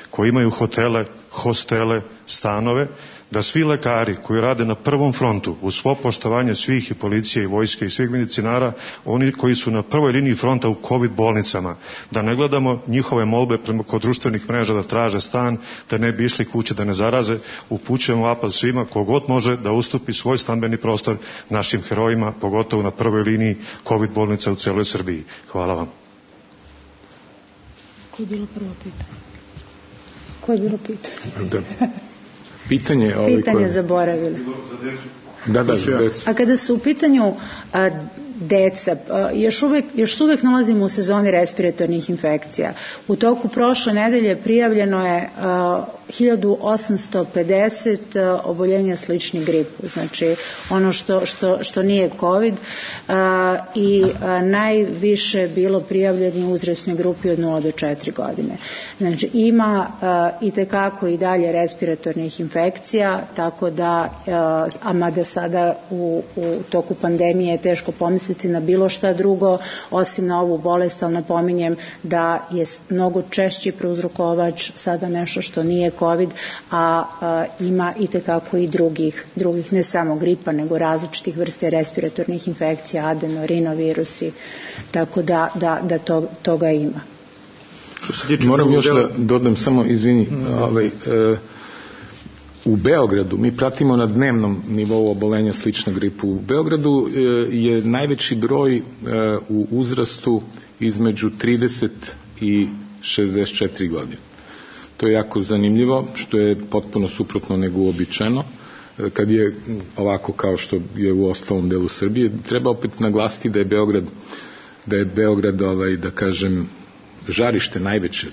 koji imaju hotele, hostele, stanove, da svi lekari koji rade na prvom frontu, uz svo poštovanje svih i policije i vojske i svih medicinara, oni koji su na prvoj liniji fronta u COVID bolnicama, da ne gledamo njihove molbe kod društvenih mreža da traže stan, da ne bi išli kuće da ne zaraze, upućujemo apel svima kogod može da ustupi svoj stambeni prostor našim herojima, pogotovo na prvoj liniji COVID bolnica u celoj Srbiji. Hvala vam. Koje je bilo prvo pitanje? Koje je bilo pitanje? Pitanje zaboravili. Da, a kada su u pitanju deca, još uvek nalazimo u sezoni respiratornih infekcija. U toku prošle nedelje prijavljeno je 1850 oboljenja sličnih gripu, znači ono što nije COVID, i najviše bilo prijavljeno u uzrasnoj grupi od 0 do 4 godine. Znači ima i tekako i dalje respiratornih infekcija, tako da, a mada sada u toku pandemije je teško pomisliti na bilo šta drugo osim na ovu bolest, ali napominjem da je mnogo češći prouzrokovač sada nešto što nije COVID, a ima i tekako i drugih, ne samo gripa, nego različitih vrste respiratornih infekcija, adenorinovirusi, tako da toga ima. Moram još da dodam samo, izvini, u Beogradu, mi pratimo na dnevnom nivou obolenja slična gripu. U Beogradu je najveći broj u uzrastu između 30 i 64 godine. To je jako zanimljivo, što je potpuno suprotno nego uobičajeno. Kad je ovako kao što je u ostalom delu Srbije, treba opet naglasiti da je Beograd da kažem, žarište najveće,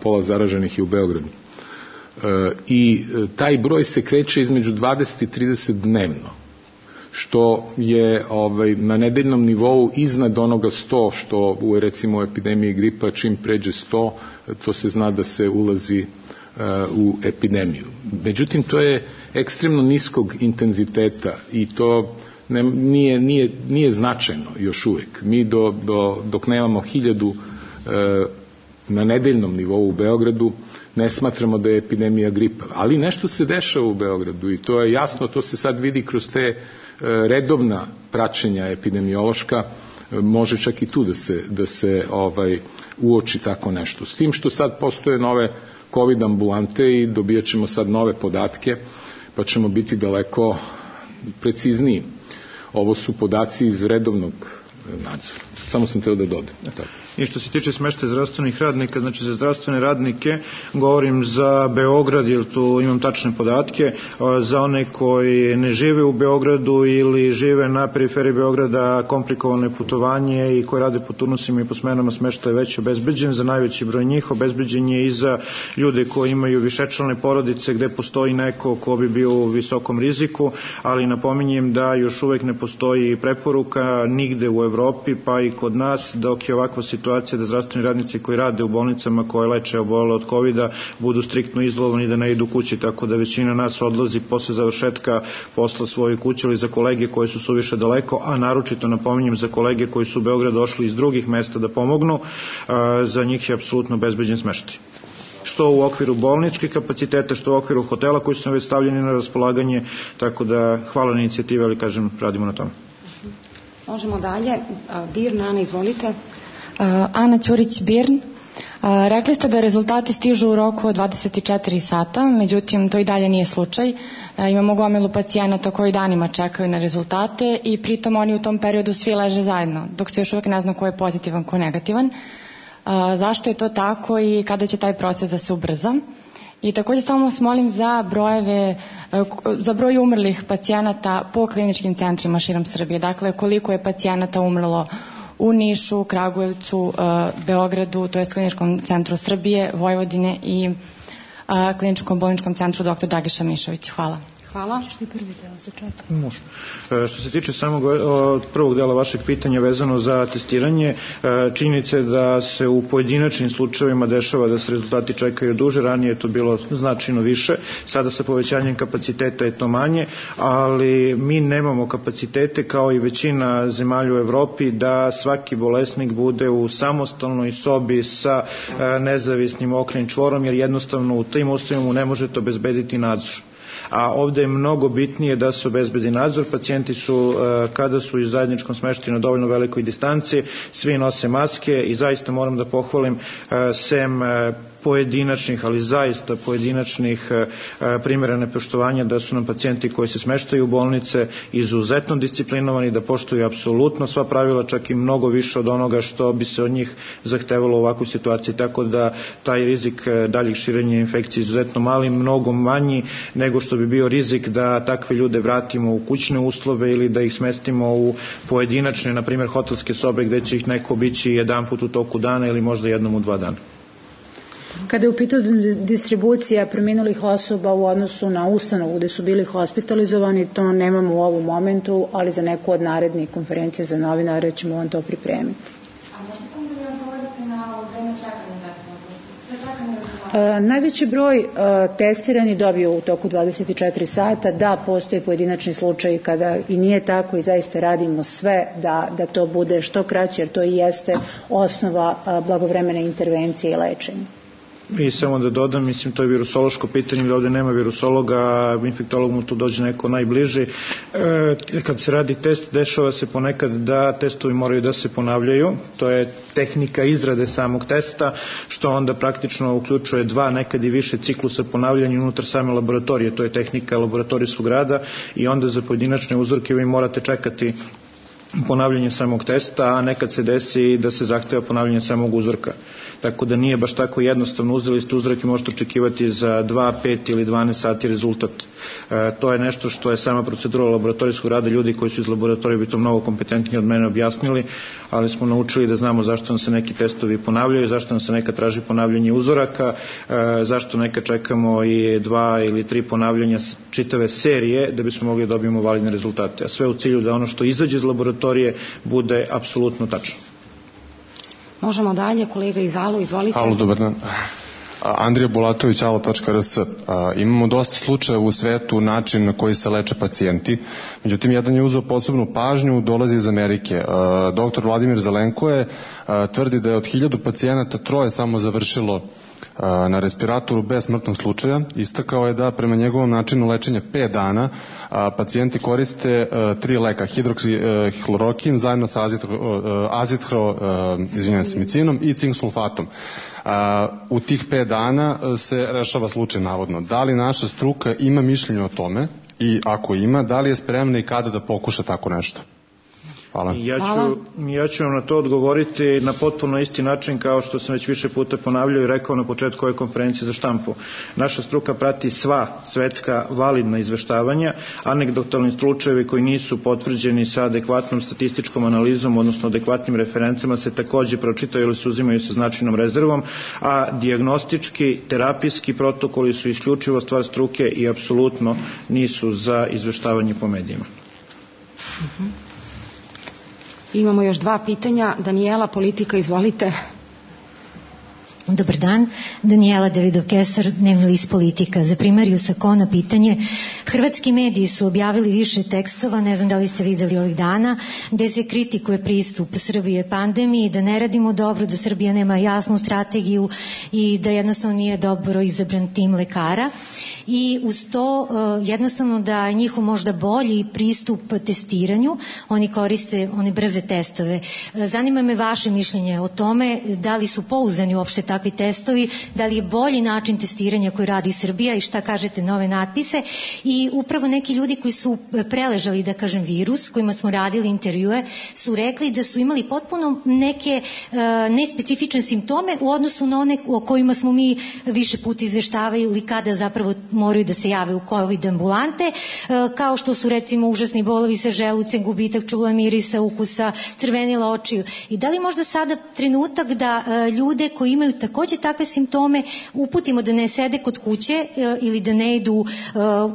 pola zaraženih je u Beogradu. I taj broj se kreće između 20 i 30 dnevno, što je na nedeljnom nivou iznad onoga 100, što u recimo epidemiji gripa čim pređe 100, to se zna da se ulazi u epidemiju. Međutim, to je ekstremno niskog intenziteta i to nije značajno još uvek. Mi dok nemamo 1000 na nedeljnom nivou u Beogradu, ne smatramo da je epidemija gripa. Ali nešto se dešava u Beogradu i to je jasno, to se sad vidi kroz te redovna praćenja epidemiološka, može čak i tu da se uoči tako nešto. S tim što sad postoje nove COVID ambulante i dobijat ćemo sad nove podatke, pa ćemo biti daleko precizniji. Ovo su podaci iz redovnog nadzora. Samo sam teo da dodam. I što se tiče smeštaja zdravstvenih radnika, znači za zdravstvene radnike govorim za Beograd, jer tu imam tačne podatke, za one koji ne žive u Beogradu ili žive na periferiji Beograda, komplikovane putovanje i koji rade po turnusima i po smenama, smeštaj je već obezbeđen. Za najveći broj njih obezbeđen je i za ljude koji imaju višečlane porodice gde postoji neko ko bi bio u visokom riziku, ali napominjem da još uvek ne postoji preporuka nigde u Evropi pa i kod nas, dok je ovakva situacija da zdravstveni radnici koji rade u bolnicama koje leče obolele od COVID-a budu striktno izolovani, da ne idu kući, tako da većina nas odlazi posle završetka posla svoje kuće ili za kolege koji su suviše daleko, a naročito napominjem za kolege koji su u Beograd došli iz drugih mesta da pomognu, za njih je apsolutno bezbeđen smeštaj. Što u okviru bolničkih kapaciteta, što u okviru hotela koji su već stavljeni na raspolaganje, tako da hvala na inicijativi, ali kažem, radimo na tome. Možemo dalje. Birn, Ana, izvolite. Ana Ćurić-Birn. Rekli ste da rezultati stižu u roku od 24 sata, međutim to i dalje nije slučaj. Imamo gomilu pacijenata koji danima čekaju na rezultate i pritom oni u tom periodu svi leže zajedno, dok se još uvek ne zna ko je pozitivan, ko je negativan. Zašto je to tako i kada će taj proces da se ubrza? I također samo vas molim za broj umrlih pacijenata po kliničkim centrima širom Srbije. Dakle, koliko je pacijenata umrlo u Nišu, Kragujevcu, Beogradu, to je Kliničkom centru Srbije, Vojvodine i Kliničkom bolničkom centru dr. Dragiša Mišović. Hvala. Hvala. Može. Što se tiče samog prvog dela vašeg pitanja vezano za testiranje, činjenica je da se u pojedinačnim slučajevima dešava da se rezultati čekaju duže, ranije je to bilo značajno više, sada sa povećanjem kapaciteta je to manje, ali mi nemamo kapacitete kao i većina zemalja u Evropi da svaki bolesnik bude u samostalnoj sobi sa nezavisnim okrenjem čvorom, jer jednostavno u tim uslovima ne možete obezbediti nadzor. A ovde je mnogo bitnije da se obezbedi nadzor. Pacijenti su, kada su u zajedničkom smeštaju na dovoljno velikoj distanci, svi nose maske i zaista moram da pohvalim sem pojedinačnih, ali zaista pojedinačnih primjera nepoštovanja, da su nam pacijenti koji se smeštaju u bolnice izuzetno disciplinovani, da poštuju apsolutno sva pravila, čak i mnogo više od onoga što bi se od njih zahtevalo u ovakvoj situaciji, tako da taj rizik daljih širenja infekcije izuzetno mali, mnogo manji nego što bi bio rizik da takve ljude vratimo u kućne uslove ili da ih smestimo u pojedinačne, na primjer hotelske sobe gde će ih neko obići jedan put u toku dana ili možda jednom u 2 dana. Kada je u pitanju distribucija preminulih osoba u odnosu na ustanovu gde su bili hospitalizovani, to nemamo u ovom momentu, ali za neku od narednih konferencija za novinare ćemo vam to pripremiti. Najveći broj testirani dobio u toku 24 sata, da postoje pojedinačni slučaj kada i nije tako i zaista radimo sve da to bude što kraće, jer to i jeste osnova blagovremene intervencije i lečenja. I samo da dodam, mislim, to je virusološko pitanje, da ovde nema virusologa, infektolog mu tu dođe neko najbliži. Kad se radi test, dešava se ponekad da testovi moraju da se ponavljaju, to je tehnika izrade samog testa, što onda praktično uključuje 2, nekad i više ciklusa ponavljanja unutar same laboratorije, to je tehnika laboratorijskog rada i onda za pojedinačne uzorke vi morate čekati ponavljanje samog testa, a nekad se desi da se zahteva ponavljanje samog uzorka. Tako da nije baš tako jednostavno, uzeli ste uzorak i možete očekivati za 2, 5 ili 12 sati rezultat. To je nešto što je sama procedura laboratorijskog rada, ljudi koji su iz laboratorija bi to mnogo kompetentnije od mene objasnili, ali smo naučili da znamo zašto nam se neki testovi ponavljaju, zašto nam se neka traži ponavljanje uzoraka, zašto neka čekamo i 2 ili 3 ponavljanja čitave serije da bismo mogli da dobijemo validne rezultate. A sve u cilju da ono što izađe iz laboratorije bude apsolutno tačno. Možemo dalje, kolega iz Alo, izvolite. Alo, dobar dan. Andrija Bulatović, alo.rs. Imamo dosta slučajeva u svetu način na koji se leče pacijenti. Međutim, jedan je uzeo posebnu pažnju, dolazi iz Amerike. Doktor Vladimir Zelenko tvrdi da je od 1000 pacijenata 3 samo završilo na respiratoru bez smrtnog slučaja. Istakao je da prema njegovom načinu lečenja 5 dana pacijenti koriste 3 leka, hidroksihlorokin zajedno sa azithromicinom i cink sulfatom. U tih 5 dana se rešava slučaj navodno. Da li naša struka ima mišljenje o tome i ako ima, da li je spremna i kada da pokuša tako nešto? Hvala. Ja ću vam na to odgovoriti na potpuno isti način kao što sam već više puta ponavljao i rekao na početku ove konferencije za štampu. Naša struka prati sva svetska validna izveštavanja, anegdotalni slučajevi koji nisu potvrđeni sa adekvatnom statističkom analizom, odnosno adekvatnim referencama, se takođe pročitaju ili se uzimaju sa značajnom rezervom, a dijagnostički, terapijski protokoli su isključivo stvar struke i apsolutno nisu za izveštavanje po medijima. Imamo još 2 pitanja. Danijela, Politika, izvolite. Dobar dan, Danijela Davidov-Kesar, Dnevni list Politika. Za primariju Sakona pitanje. Hrvatski mediji su objavili više tekstova, ne znam da li ste videli ovih dana, gde se kritikuje pristup Srbije pandemiji, da ne radimo dobro, da Srbija nema jasnu strategiju i da jednostavno nije dobro izabran tim lekara. I uz to jednostavno da je njihov možda bolji pristup testiranju, oni koriste one brze testove. Zanima me vaše mišljenje o tome, da li su pouzdani uopšte takvi testovi, da li je bolji način testiranja koji radi Srbija i šta kažete na ove natpise. I upravo neki ljudi koji su preležali, da kažem, virus, kojima smo radili intervjue, su rekli da su imali potpuno neke nespecifične simptome u odnosu na one o kojima smo mi više puta izveštavali ili kada zapravo moraju da se jave u COVID ambulante, kao što su recimo užasni bolovi sa želucem, gubitak čula, mirisa, ukusa, crvenila očiju. I da li možda sada trenutak da ljude koji imaju takođe takve simptome uputimo da ne sede kod kuće ili da ne idu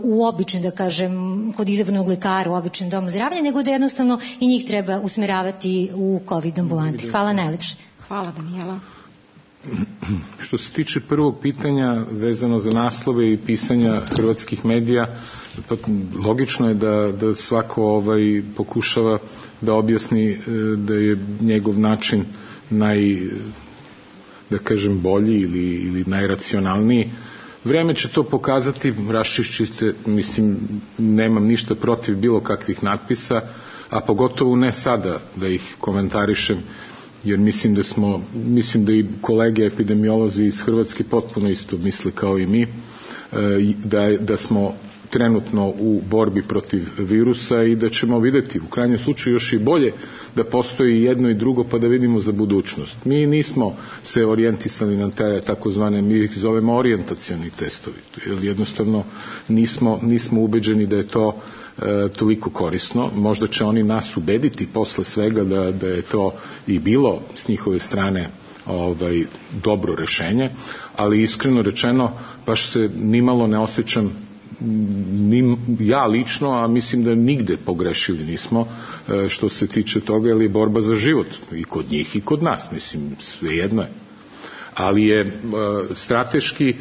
u običan, da kažem, kod izabranog lekara u običan dom zdravlja, nego da jednostavno i njih treba usmeravati u COVID ambulanti. Hvala najlepše. Hvala, Danijela. Što se tiče prvog pitanja vezano za naslove i pisanja hrvatskih medija, pa logično je da svako pokušava da objasni da je njegov način da kažem bolji ili najracionalniji. Vreme će to pokazati, raščišćite, mislim, nemam ništa protiv bilo kakvih natpisa, a pogotovo ne sada da ih komentarišem, jer mislim da i kolege epidemiolozi iz Hrvatske potpuno isto misle kao i mi, da smo trenutno u borbi protiv virusa i da ćemo videti u krajnjem slučaju još i bolje da postoji jedno i drugo pa da vidimo za budućnost. Mi nismo se orijentisali na te takozvane, mi ih zovemo orijentacioni testovi, jer jednostavno nismo ubeđeni da je to toliko korisno. Možda će oni nas ubediti posle svega da je to i bilo s njihove strane dobro rešenje, ali iskreno rečeno baš se nimalo ne osjećam ja lično, a mislim da nigde pogrešili nismo što se tiče toga, jer je borba za život i kod njih i kod nas, mislim, svejedno je. Ali je strateški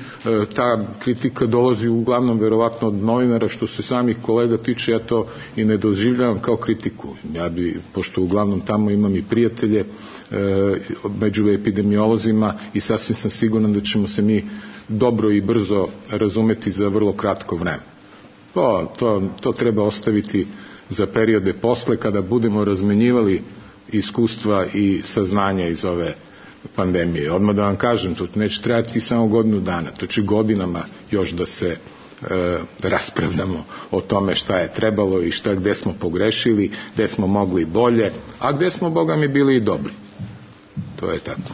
ta kritika dolazi uglavnom verovatno od novinara, što se samih kolega tiče, ja to i ne doživljavam kao kritiku. Ja bi, pošto uglavnom tamo imam i prijatelje među epidemiolozima i sasvim sam siguran da ćemo se mi dobro i brzo razumeti za vrlo kratko vreme. To treba ostaviti za periode posle, kada budemo razmenjivali iskustva i saznanja iz ove pandemije. Odmah da vam kažem, to neće trajati samo godinu dana, to će godinama još da se raspravljamo o tome šta je trebalo i gde smo pogrešili, gde smo mogli bolje, a gde smo, Boga mi, bili i dobri. To je tako.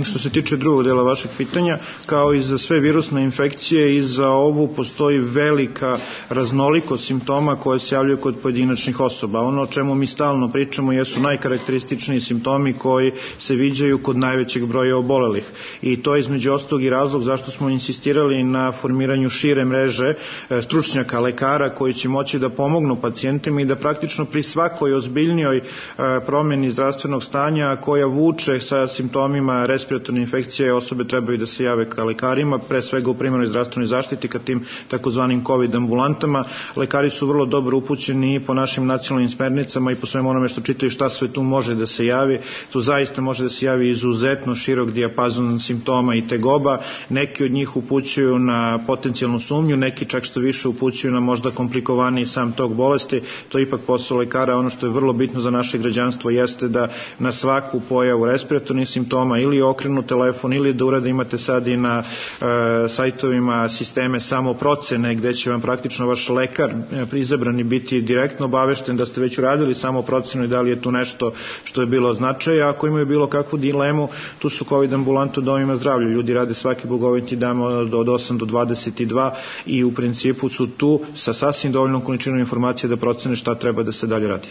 Što se tiče drugog dela vašeg pitanja, kao i za sve virusne infekcije, i za ovu postoji velika raznolikost simptoma koje se javljaju kod pojedinačnih osoba. Ono o čemu mi stalno pričamo jesu najkarakterističniji simptomi koji se viđaju kod najvećeg broja obolelih. I to je između ostalog i razlog zašto smo insistirali na formiranju šire mreže stručnjaka, lekara koji će moći da pomognu pacijentima i da praktično pri svakoj ozbiljnijoj promjeni zdravstvenog stanja koja vuče sa simptomima respiratorne infekcije, osobe trebaju da se jave ka lekarima, pre svega u primarnoj zdravstvenoj zaštiti, ka tim takozvanim COVID ambulantama. Lekari su vrlo dobro upućeni i po našim nacionalnim smernicama i po svemu onome što čitaju šta sve tu može da se javi. Tu zaista može da se javi izuzetno širok dijapazon simptoma i tegoba. Neki od njih upućuju na potencijalnu sumnju, neki čak što više upućuju na možda komplikovaniji sam tok bolesti. To je ipak posao lekara. Ono što je vrlo bitno za naše građanstvo jeste da na svaku pojavu respiratornih simptoma ili okrenu telefon ili da urade, imate sad i na sajtovima sisteme samoprocene gde će vam praktično vaš lekar izabrani biti direktno obavešten da ste već uradili samoprocenu i da li je tu nešto što je bilo značaja. Ako imaju bilo kakvu dilemu, tu su COVID ambulante u domima zdravlja. Ljudi rade svaki bogoviti dan od 8 do 22 i u principu su tu sa sasvim dovoljnom količinom informacije da procene šta treba da se dalje radi.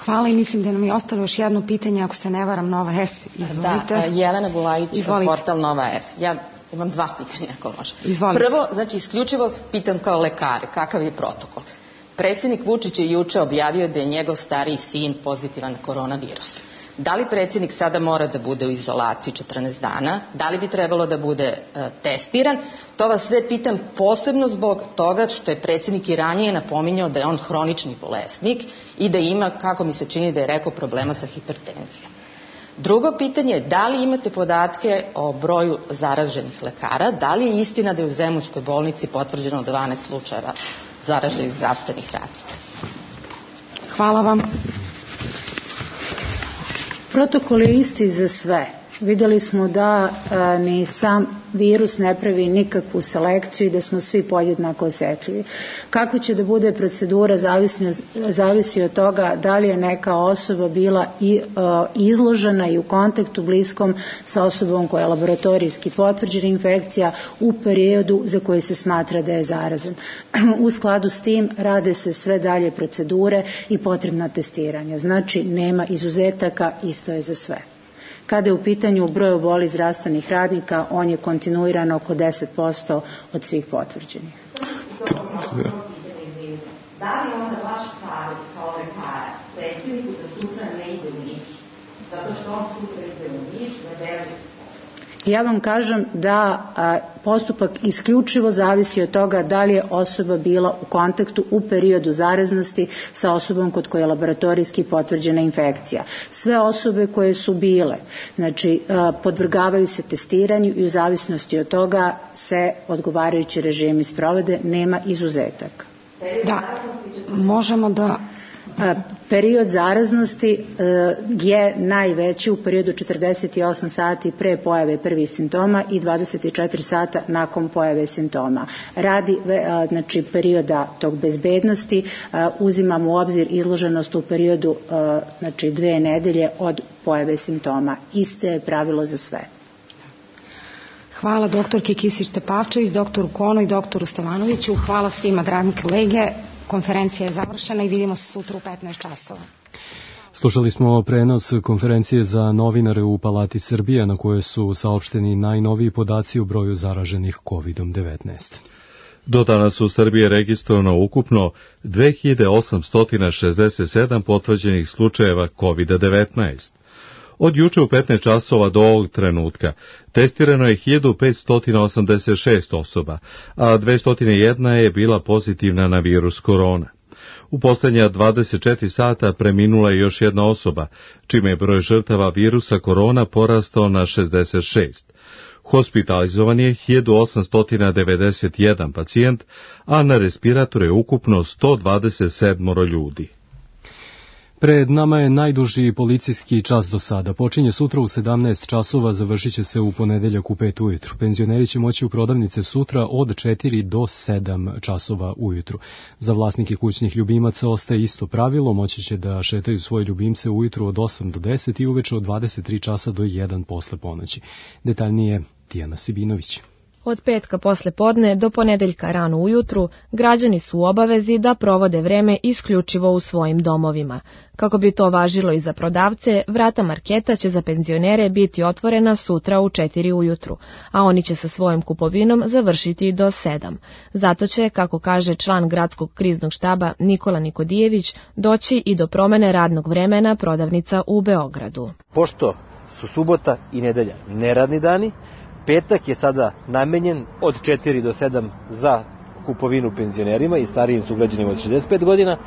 Hvala i mislim da nam je ostalo još jedno pitanje, ako se ne varam, Nova S. Izvolite. Da, Jelena Bulajić, portal Nova S. Ja imam dva pitanja, ako može. Izvolite. Prvo, znači, isključivo pitam kao lekar, kakav je protokol? Predsjednik Vučić je juče objavio da je njegov stariji sin pozitivan na koronavirus. Da li predsjednik sada mora da bude u izolaciji 14 dana? Da li bi trebalo da bude testiran? To vas sve pitam posebno zbog toga što je predsjednik i ranije napominjao da je on hronični bolesnik i da ima, kako mi se čini da je rekao, problema sa hipertenzijom. Drugo pitanje je da li imate podatke o broju zaraženih lekara? Da li je istina da je u Zemunskoj bolnici potvrđeno 12 slučajeva zaraženih zdravstvenih radnika? Hvala vam. Protokol je isti za sve. Videli smo da ni sam virus ne pravi nikakvu selekciju i da smo svi podjednako osetljivi. Kako će da bude procedura zavisi od toga da li je neka osoba bila izložena i u kontaktu bliskom sa osobom koja je laboratorijski potvrđena infekcija u periodu za koji se smatra da je zarazan. U skladu s tim rade se sve dalje procedure i potrebna testiranja. Znači, nema izuzetaka, isto je za sve. Kada je u pitanju broj obolelih zdravstvenih radnika, on je kontinuirano oko 10% od svih potvrđenih. Da li onda vaš savjet kao lekara predsjedniku da sutra ne ide u Niš? Zato što on sutra ide u Niš, na Beograd. Ja vam kažem da postupak isključivo zavisi od toga da li je osoba bila u kontaktu u periodu zaraznosti sa osobom kod koje je laboratorijski potvrđena infekcija. Sve osobe koje su bile, znači, podvrgavaju se testiranju i u zavisnosti od toga se odgovarajući režimi sprovode, nema izuzetaka. Da, možemo da... Period zaraznosti je najveći u periodu 48 sati pre pojave prvih simptoma i 24 sata nakon pojave simptoma. Radi znači, perioda tog bezbednosti uzimamo u obzir izloženost u periodu znači 2 nedelje od pojave simptoma. Iste je pravilo za sve. Hvala doktorki Kisić-Tepavčević, doktoru Konu i doktoru Stevanoviću. Hvala svima, dragi kolege. Konferencija je završena i vidimo se sutra u 15 časova. Slušali smo prenos konferencije za novinare u Palati Srbije na kojoj su saopšteni najnoviji podaci o broju zaraženih COVID-19. Do danas u Srbiji je registrovano ukupno 2867 potvrđenih slučajeva COVID-19. Od juče u 15 časova do ovog trenutka testirano je 1586 osoba, a 201 je bila pozitivna na virus korona. U posljednja 24 sata preminula je još jedna osoba, čime je broj žrtava virusa korona porastao na 66. Hospitalizovan je 1891 pacijent, a na respiratoru je ukupno 127 ljudi. Pred nama je najduži policijski čas do sada. Počinje sutra u 17 časova, završit će se u ponedeljak u 5 ujutru. Penzioneri će moći u prodavnice sutra od 4 do 7 časova ujutru. Za vlasnike kućnih ljubimaca ostaje isto pravilo, moći će da šetaju svoje ljubimce ujutru od 8 do 10 i uveče od 23 časa do 1 posle ponoći. Detaljnije Tijana Sibinović. Od petka posle podne do ponedeljka rano ujutru građani su u obavezi da provode vreme isključivo u svojim domovima. Kako bi to važilo i za prodavce, vrata marketa će za penzionere biti otvorena sutra u 4 ujutru, a oni će sa svojom kupovinom završiti do 7. Zato će, kako kaže član gradskog kriznog štaba Nikola Nikodijević, doći i do promene radnog vremena prodavnica u Beogradu. Pošto su subota i nedelja neradni dani, petak je sada namenjen od 4 do 7 za kupovinu penzionerima i starijim sugrađanima od 65 godina,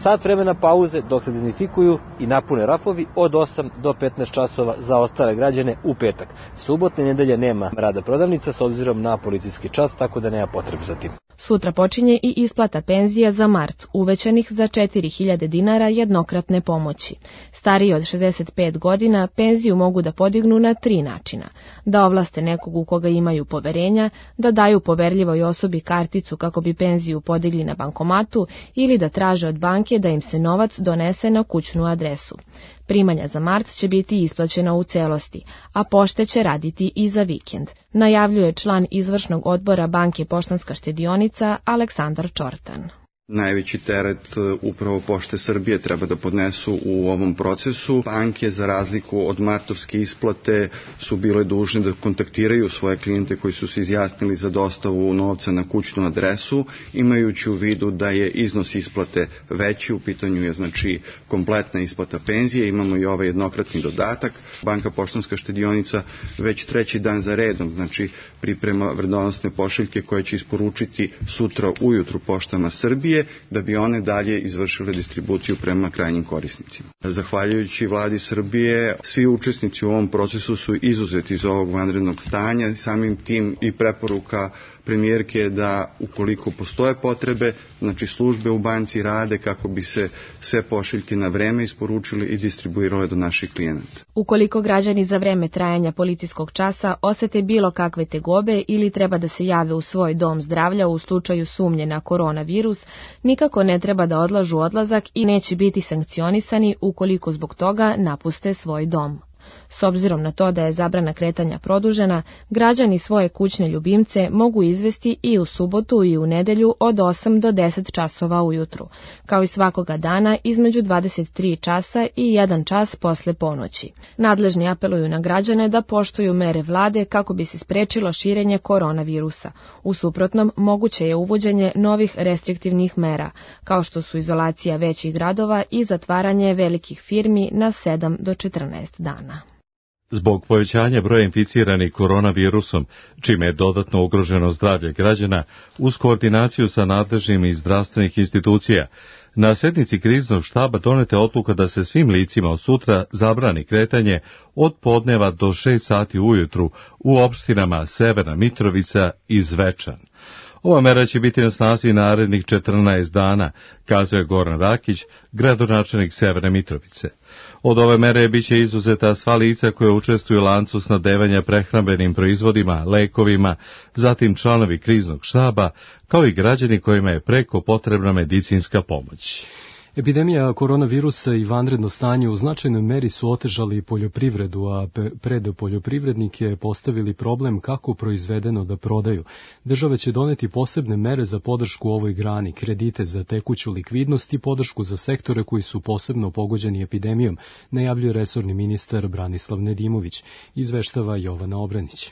sat vremena pauze dok se dezinfikuju i napune rafovi od 8 do 15 časova za ostale građane u petak. Subotne i nedelje nema rada prodavnica s obzirom na policijski čas, tako da nema potrebe za tim. Sutra počinje i isplata penzija za mart, uvećanih za 4.000 dinara jednokratne pomoći. Stariji od 65 godina penziju mogu da podignu na 3 načina. Da ovlaste nekog u koga imaju poverenja, da daju poverljivoj osobi karticu kako bi penziju podigli na bankomatu ili da traže od banke da im se novac donese na kućnu adresu. Primanja za mart će biti isplaćena u celosti, a pošte će raditi i za vikend, najavljuje član izvršnog odbora Banke Poštanska štedionica Aleksandar Čortan. Najveći teret upravo Pošte Srbije treba da podnesu u ovom procesu. Banke, za razliku od martovske isplate, su bile dužne da kontaktiraju svoje klijente koji su se izjasnili za dostavu novca na kućnu adresu, imajući u vidu da je iznos isplate veći, u pitanju je znači kompletna isplata penzije, imamo i ovaj jednokratni dodatak. Banka Poštanska štedionica već 3. dan za redom, znači priprema vredonosne pošiljke koje će isporučiti sutra ujutru Poštama Srbije, da bi one dalje izvršile distribuciju prema krajnjim korisnicima. Zahvaljujući vladi Srbije, svi učesnici u ovom procesu su izuzeti iz ovog vanrednog stanja, samim tim i preporuka premijerke je da ukoliko postoje potrebe, znači službe u banci rade kako bi se sve pošiljke na vreme isporučili i distribuirale do naših klijenata. Ukoliko građani za vreme trajanja policijskog časa osete bilo kakve tegobe ili treba da se jave u svoj dom zdravlja u slučaju sumnje na koronavirus, nikako ne treba da odlažu odlazak i neće biti sankcionisani ukoliko zbog toga napuste svoj dom. S obzirom na to da je zabrana kretanja produžena, građani svoje kućne ljubimce mogu izvesti i u subotu i u nedelju od 8 do 10 časova ujutru, kao i svakoga dana između 23 časa i 1 čas posle ponoći. Nadležni apeluju na građane da poštuju mere vlade kako bi se sprečilo širenje koronavirusa. U suprotnom, moguće je uvođenje novih restriktivnih mera, kao što su izolacija većih gradova i zatvaranje velikih firmi na 7 do 14 dana. Zbog povećanja broja inficiranih koronavirusom, čime je dodatno ugroženo zdravlje građana, uz koordinaciju sa nadležnim iz zdravstvenih institucija, na sednici kriznog štaba doneta odluka da se svim licima od sutra zabrani kretanje od podneva do 6 sati ujutru u opštinama Severna Mitrovica i Zvečan. Ova mera će biti na snazi narednih 14 dana, kazuje Goran Rakić, gradonačelnik Severne Mitrovice. Od ove mere biće izuzeta sva lica koje učestvuju u lancu snabdevanja prehrambenim proizvodima, lekovima, zatim članovi kriznog štaba, kao i građani kojima je preko potrebna medicinska pomoć. Epidemija koronavirusa i vanredno stanje u značajnoj meri su otežali poljoprivredu, a pred poljoprivrednike postavili problem kako proizvedeno da prodaju. Država će doneti posebne mere za podršku ovoj grani, kredite za tekuću likvidnost i podršku za sektore koji su posebno pogođeni epidemijom, najavljuje resorni ministar Branislav Nedimović, izveštava Jovana Obranić.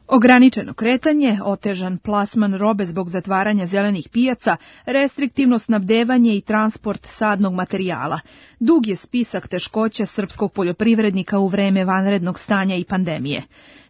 Ograničeno kretanje, otežan plasman robe zbog zatvaranja zelenih pijaca, restriktivno snabdevanje i transport sadnog materijala. Dug je spisak teškoća srpskog poljoprivrednika u vreme vanrednog stanja i pandemije.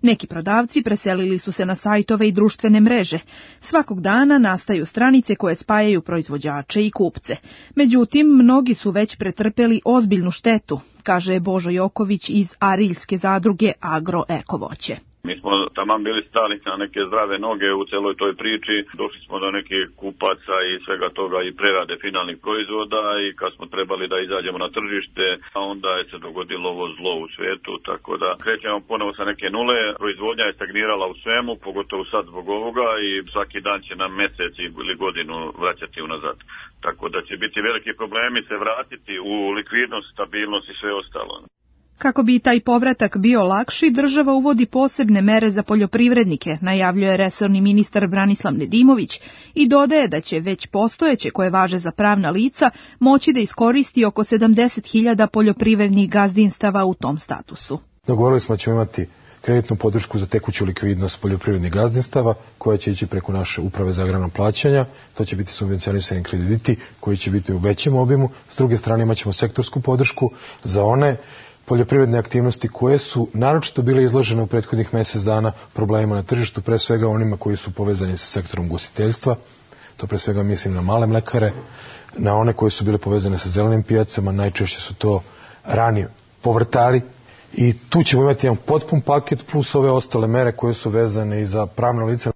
Neki prodavci preselili su se na sajtove i društvene mreže. Svakog dana nastaju stranice koje spajaju proizvođače i kupce. Međutim, mnogi su već pretrpeli ozbiljnu štetu, kaže Božo Joković iz Ariljske zadruge Agro Eko voće. Mi smo taman bili stali na neke zdrave noge u celoj toj priči, došli smo do nekih kupaca i svega toga i prerade finalnih proizvoda i kad smo trebali da izađemo na tržište, onda je se dogodilo ovo zlo u svetu, tako da krećemo ponovo sa neke nule, proizvodnja je stagnirala u svemu, pogotovo sad zbog ovoga i svaki dan će nam mesec ili godinu vraćati unazad. Tako da će biti veliki problemi se vratiti u likvidnost, stabilnost i sve ostalo. Kako bi taj povratak bio lakši, država uvodi posebne mere za poljoprivrednike, najavljuje resorni ministar Branislav Nedimović i dodaje da će već postojeće koje važe za pravna lica moći da iskoristi oko 70.000 poljoprivrednih gazdinstava u tom statusu. Dogovorili smo da ćemo imati kreditnu podršku za tekuću likvidnost poljoprivrednih gazdinstava koja će ići preko naše uprave za agrarna plaćanja. To će biti subvencionisani krediti koji će biti u većem obimu. S druge strane imat ćemo sektorsku podršku za one poljoprivredne aktivnosti koje su naročito bile izložene u prethodnih mjesec dana problemima na tržištu, pre svega onima koji su povezani sa sektorom ugostiteljstva. To pre svega mislim na male mlekare, na one koje su bile povezane sa zelenim pijacama, najčešće su to rani povrtari. I tu ćemo imati jedan potpun paket plus ove ostale mere koje su vezane i za pravna lica.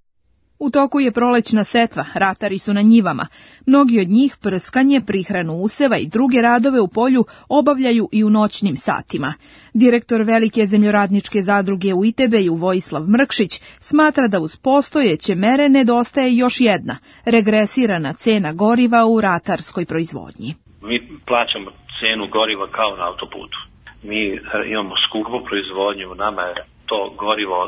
U toku je prolećna setva, ratari su na njivama. Mnogi od njih prskanje, prihranu useva i druge radove u polju obavljaju i u noćnim satima. Direktor Velike zemljoradničke zadruge u Itebeju Vojislav Mrkšić smatra da uz postojeće mere nedostaje još jedna, regresirana cena goriva u ratarskoj proizvodnji. Mi plaćamo cenu goriva kao na autoputu. Mi imamo skupu proizvodnju, nama je to gorivo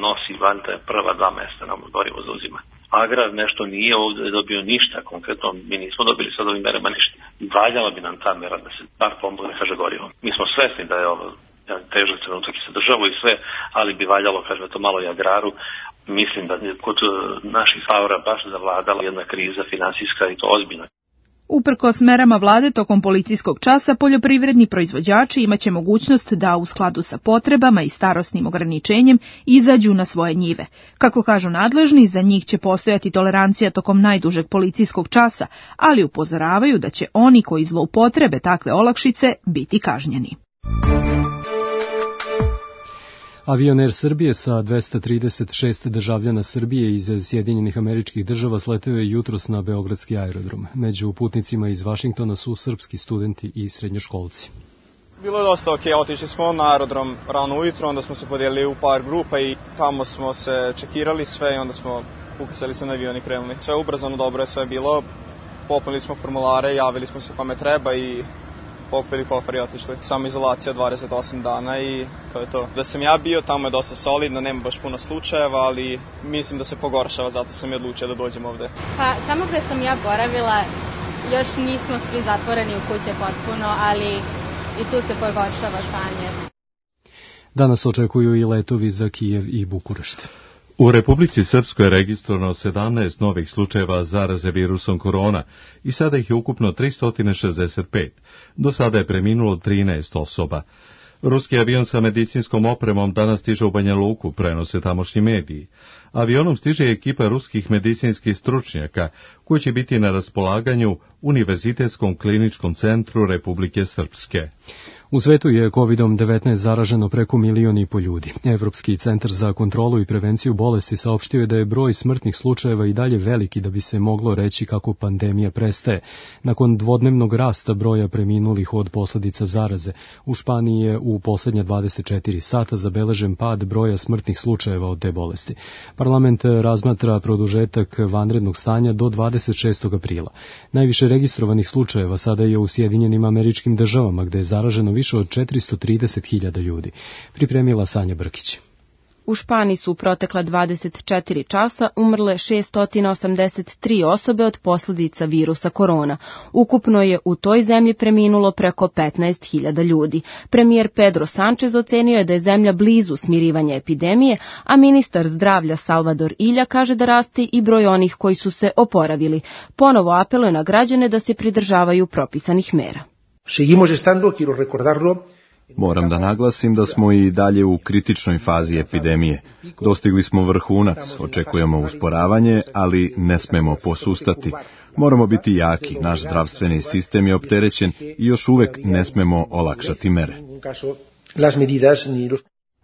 nosi vanta prva 2 mesta nam gorivo zauzima. Agrar nešto nije ovdje dobio ništa, konkretno mi nismo dobili sad ovim merama ništa. Valjala bi nam ta mera da se bar pomogne, kaže gorivo. Mi smo svesni da je ovo težak trenutak i za državu i sve, ali bi valjalo, kaže to malo i agraru. Mislim da kod naših favora baš zavladala jedna kriza finansijska i to ozbiljna. Uprkos merama vlade tokom policijskog časa, poljoprivredni proizvođači imaće mogućnost da u skladu sa potrebama i starosnim ograničenjem izađu na svoje njive. Kako kažu nadležni, za njih će postojati tolerancija tokom najdužeg policijskog časa, ali upozoravaju da će oni koji zloupotrebe takve olakšice biti kažnjeni. Avion Air Srbije sa 236 državljana Srbije iz Sjedinjenih Američkih Država sleteo je jutros na beogradski aerodrom. Među putnicima iz Vašingtona su srpski studenti i srednjoškolci. Bilo je dosta okej, otišli smo na aerodrom rano ujutro, onda smo se podijelili u par grupa i tamo smo se čekirali sve i onda smo ukrcali se na avion i krenuli. Sve ubrzano, dobro je sve bilo, popunili smo formulare, javili smo se kome treba i pokupili kofer i otišli. Samo izolacija 28 dana i to je to. Da sam ja bio, tamo je dosta solidno, nema baš puno slučajeva, ali mislim da se pogoršava, zato sam i odlučio da dođem ovde. Pa tamo gde sam ja boravila, još nismo svi zatvoreni u kuće potpuno, ali i tu se pogoršava stanje. Danas očekuju i letovi za Kijev i Bukurešt. U Republici Srpskoj je registrovano 17 novih slučajeva zaraze virusom korona i sada ih je ukupno 365. Do sada je preminulo 13 osoba. Ruski avion sa medicinskom opremom danas stiže u Banja Luku, prenose tamošnji mediji. Avionom stiže ekipa ruskih medicinskih stručnjaka, koji će biti na raspolaganju Univerzitetskom kliničkom centru Republike Srpske. U svetu je COVID-19 zaraženo preko 1,5 miliona ljudi. Evropski centar za kontrolu i prevenciju bolesti saopštio je da je broj smrtnih slučajeva i dalje veliki da bi se moglo reći kako pandemija prestaje. Nakon dvodnevnog rasta broja preminulih od posljedica zaraze, u Španiji je u posljednja 24 sata zabeležen pad broja smrtnih slučajeva od te bolesti. Parlament razmatra produžetak vanrednog stanja do 26. aprila. Najviše registrovanih slučajeva sada je u Sjedinjenim Američkim Državama, gde je zaraženo više od 430.000 ljudi. Pripremila Sanja Brkić. U Španiji su u protekla 24 časa umrle 683 osobe od posljedica virusa korona. Ukupno je u toj zemlji preminulo preko 15.000 ljudi. Premijer Pedro Sánchez ocenio je da je zemlja blizu smirivanja epidemije, a ministar zdravlja Salvador Illa kaže da raste i broj onih koji su se oporavili. Ponovo apeluje na građane da se pridržavaju propisanih mera. Moram da naglasim da smo i dalje u kritičnoj fazi epidemije. Dostigli smo vrhunac, očekujemo usporavanje, ali ne smemo posustati. Moramo biti jaki, naš zdravstveni sistem je opterećen i još uvek ne smemo olakšati mere.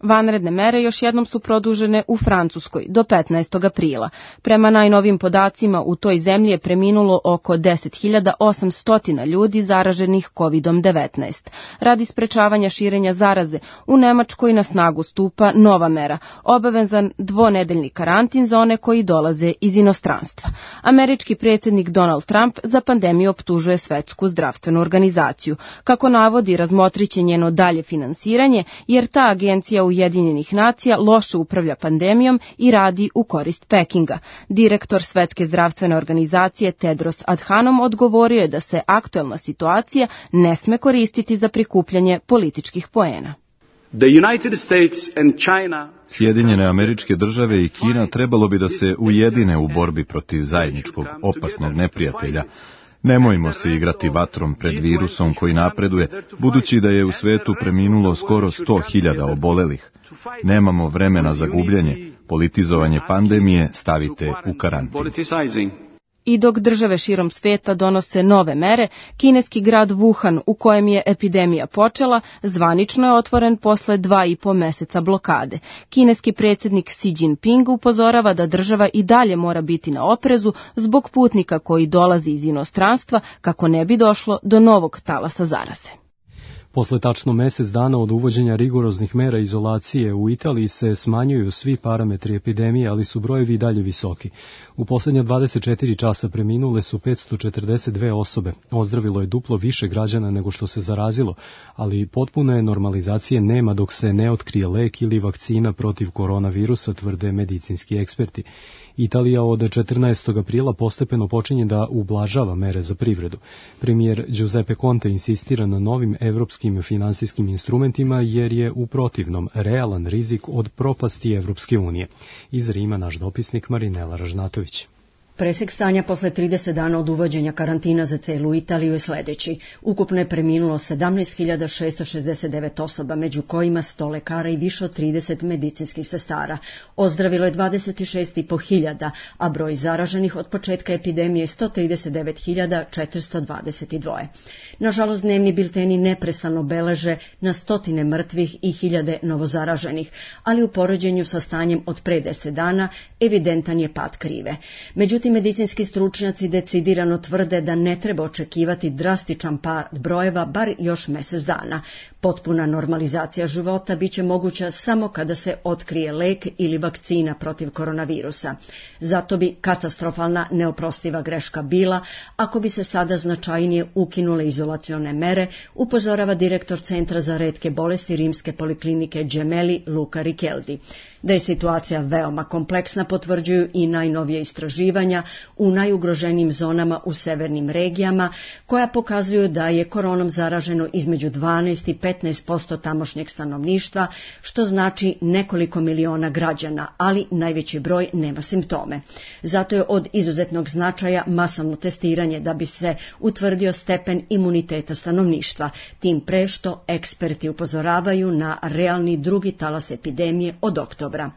Vanredne mere još jednom su produžene u Francuskoj do 15. aprila. Prema najnovim podacima u toj zemlji je preminulo oko 10.800 ljudi zaraženih COVID-19. Radi sprečavanja širenja zaraze, u Nemačkoj na snagu stupa nova mera, obavezan dvonedeljni karantin za one koji dolaze iz inostranstva. Američki predsjednik Donald Trump za pandemiju optužuje Svetsku zdravstvenu organizaciju. Kako navodi, razmotriće njeno dalje finansiranje, jer ta agencija Ujedinjenih nacija loše upravlja pandemijom i radi u korist Pekinga. Direktor Svetske zdravstvene organizacije Tedros Adhanom odgovorio je da se aktuelna situacija ne sme koristiti za prikupljanje političkih poena. Sjedinjene Američke Države i Kina trebalo bi da se ujedine u borbi protiv zajedničkog opasnog neprijatelja. Nemojmo se igrati vatrom pred virusom koji napreduje, budući da je u svetu preminulo skoro 100.000 obolelih. Nemamo vremena za gubljenje, politizovanje pandemije stavite u karantin. I dok države širom sveta donose nove mere, kineski grad Wuhan, u kojem je epidemija počela, zvanično je otvoren posle 2,5 meseca blokade. Kineski predsjednik Xi Jinping upozorava da država i dalje mora biti na oprezu zbog putnika koji dolazi iz inostranstva kako ne bi došlo do novog talasa zaraze. Posle tačno mesec dana od uvođenja rigoroznih mera izolacije u Italiji se smanjuju svi parametri epidemije, ali su brojevi i dalje visoki. U posljednja 24 časa preminule su 542 osobe. Ozdravilo je duplo više građana nego što se zarazilo, ali potpune normalizacije nema dok se ne otkrije lek ili vakcina protiv koronavirusa, tvrde medicinski eksperti. Italija od 14. aprila postepeno počinje da ublažava mere za privredu. Premijer Giuseppe Conte insistira na novim evropskim finansijskim instrumentima jer je u protivnom realan rizik od propasti Evropske unije. Iz Rima naš dopisnik Marinela Ražnatović. Presek stanja posle 30 dana od uvođenja karantina za celu Italiju je sledeći. Ukupno je preminulo 17.669 osoba, među kojima 100 lekara i više od 30 medicinskih sestara. Ozdravilo je 26.500, a broj zaraženih od početka epidemije je 139.422. Nažalost, dnevni bilteni neprestano beleže na stotine mrtvih i hiljade novozaraženih, ali u poređenju sa stanjem od pre 10 dana evidentan je pad krive. Međutim, medicinski stručnjaci decidirano tvrde da ne treba očekivati drastičan pad brojeva bar još mesec dana. Potpuna normalizacija života biće moguća samo kada se otkrije lek ili vakcina protiv koronavirusa. Zato bi katastrofalna neoprostiva greška bila ako bi se sada značajnije ukinule izolacione mere, upozorava direktor Centra za retke bolesti Rimske poliklinike Gemelli Luca Richeldi. Da je situacija veoma kompleksna potvrđuju i najnovije istraživanja u najugroženijim zonama u severnim regijama, koja pokazuju da je koronom zaraženo između 12 i 15% tamošnjeg stanovništva, što znači nekoliko miliona građana, ali najveći broj nema simptome. Zato je od izuzetnog značaja masovno testiranje da bi se utvrdio stepen imuniteta stanovništva, tim pre što eksperti upozoravaju na realni drugi talas epidemije od oktobra.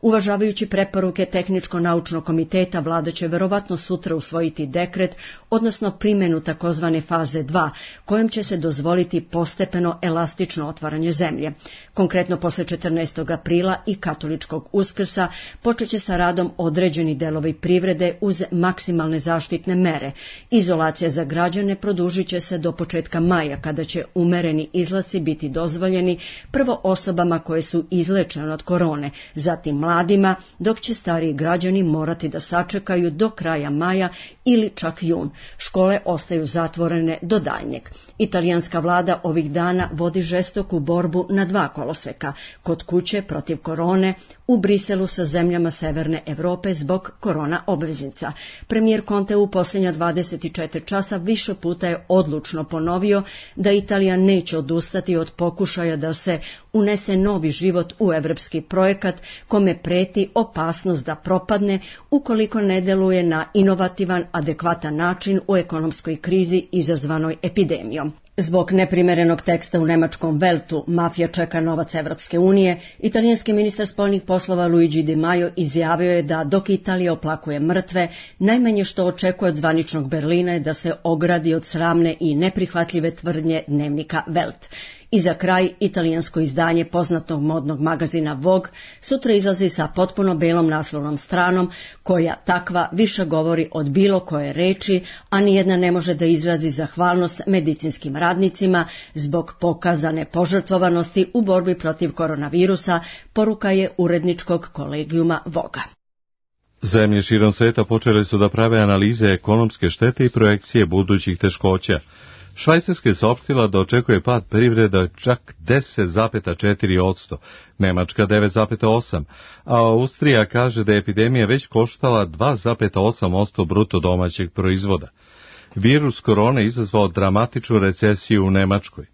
Uvažavajući preporuke Tehničko-naučnog komiteta, vlada će verovatno sutra usvojiti dekret, odnosno primjenu takozvane faze 2, kojom će se dozvoliti postepeno elastično otvaranje zemlje. Konkretno, posle 14. aprila i katoličkog Uskrsa počeće sa radom određeni delovi privrede uz maksimalne zaštitne mere. Izolacija za građane produžit će se do početka maja, kada će umereni izlaci biti dozvoljeni prvo osobama koje su izlečene od korone, zatim mladima, dok će stariji građani morati da sačekaju do kraja maja ili čak jun. Škole ostaju zatvorene do daljnjeg. Italijanska vlada ovih dana vodi žestoku borbu na dva koloseka, kod kuće protiv korone, u Briselu sa zemljama Severne Evrope zbog korona obveznica. Premijer Conte u posljednja 24 časa više puta je odlučno ponovio da Italija neće odustati od pokušaja da se unese novi život u evropski projekat, kome preti opasnost da propadne ukoliko ne deluje na inovativan, adekvatan način u ekonomskoj krizi izazvanoj epidemijom. Zbog neprimerenog teksta u nemačkom Weltu "Mafija čeka novac Evropske unije", italijanski ministar spoljnih poslova Luigi Di Maio izjavio je da dok Italija oplakuje mrtve, najmanje što očekuje od zvaničnog Berlina je da se ogradi od sramne i neprihvatljive tvrdnje dnevnika Welt. I za kraj, italijansko izdanje poznatog modnog magazina Vogue sutra izlazi sa potpuno belom naslovnom stranom, koja takva više govori od bilo koje reči, a nijedna ne može da izrazi zahvalnost medicinskim radnicima zbog pokazane požrtvovanosti u borbi protiv koronavirusa, poruka je uredničkog kolegijuma Voga. Zemlje širom sveta počele su da prave analize ekonomske štete i projekcije budućih teškoća. Švajcarska je saopštila da očekuje pad privreda čak 10,4%, Nemačka 9,8%, a Austrija kaže da je epidemija već koštala 2,8% bruto domaćeg proizvoda. Virus korone izazvao dramatičnu recesiju u Nemačkoj.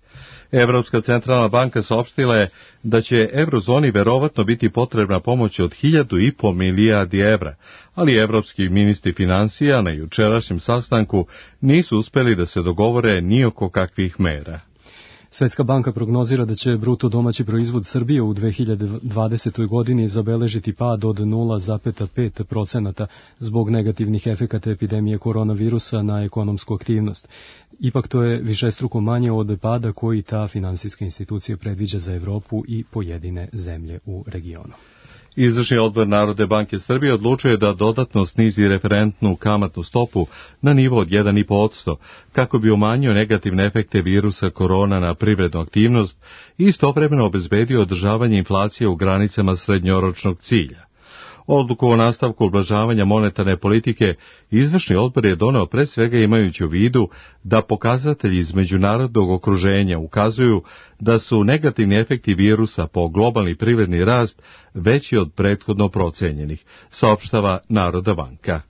Evropska centralna banka saopštila je da će eurozoni verovatno biti potrebna pomoć od 1.500 milijardi evra, ali evropski ministri finansija na jučerašnjem sastanku nisu uspeli da se dogovore ni oko kakvih mera. Svetska banka prognozira da će bruto domaći proizvod Srbije u 2020. godini zabeležiti pad od 0,5% zbog negativnih efekata epidemije koronavirusa na ekonomsku aktivnost. Ipak to je višestruko manje od pada koji ta finansijska institucija predviđa za Evropu i pojedine zemlje u regionu. Izvršni odbor Narodne banke Srbije odlučuje da dodatno snizi referentnu kamatnu stopu na nivo od 1,5% kako bi umanjio negativne efekte virusa korona na privrednu aktivnost i istovremeno obezbedio održavanje inflacije u granicama srednjoročnog cilja. Odluku o nastavku ublažavanja monetarne politike izvršni odbor je doneo pre svega imajući u vidu da pokazatelji iz međunarodnog okruženja ukazuju da su negativni efekti virusa po globalni privredni rast veći od prethodno procenjenih, saopštava Narodna banka.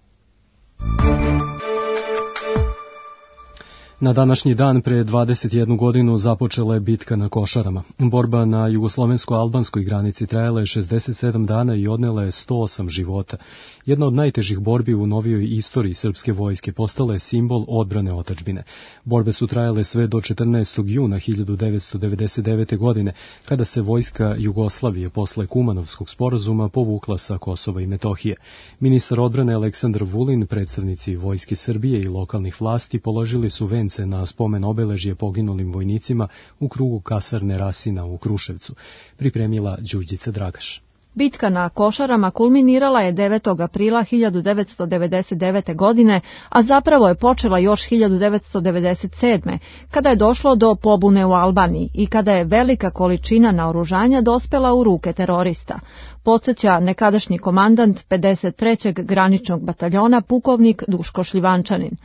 Na današnji dan pre 21 godinu započela je bitka na Košarama. Borba na jugoslovensko-albanskoj granici trajala je 67 dana i odnela je 108 života. Jedna od najtežih borbi u novijoj istoriji srpske vojske postala je simbol odbrane otadžbine. Borbe su trajale sve do 14. juna 1999. godine, kada se vojska Jugoslavije posle Kumanovskog sporazuma povukla sa Kosova i Metohije. Ministar odbrane Aleksandar Vulin, predstavnici Vojske Srbije i lokalnih vlasti položili su vence na spomen obeležje poginulim vojnicima u krugu kasarne Rasina u Kruševcu, pripremila Đurđica Dragaš. Bitka na Košarama kulminirala je 9. aprila 1999. godine, a zapravo je počela još 1997. kada je došlo do pobune u Albaniji i kada je velika količina naoružanja dospela u ruke terorista. Podsjeća nekadašnji komandant 53. graničnog bataljona pukovnik Duško Šljivančanin.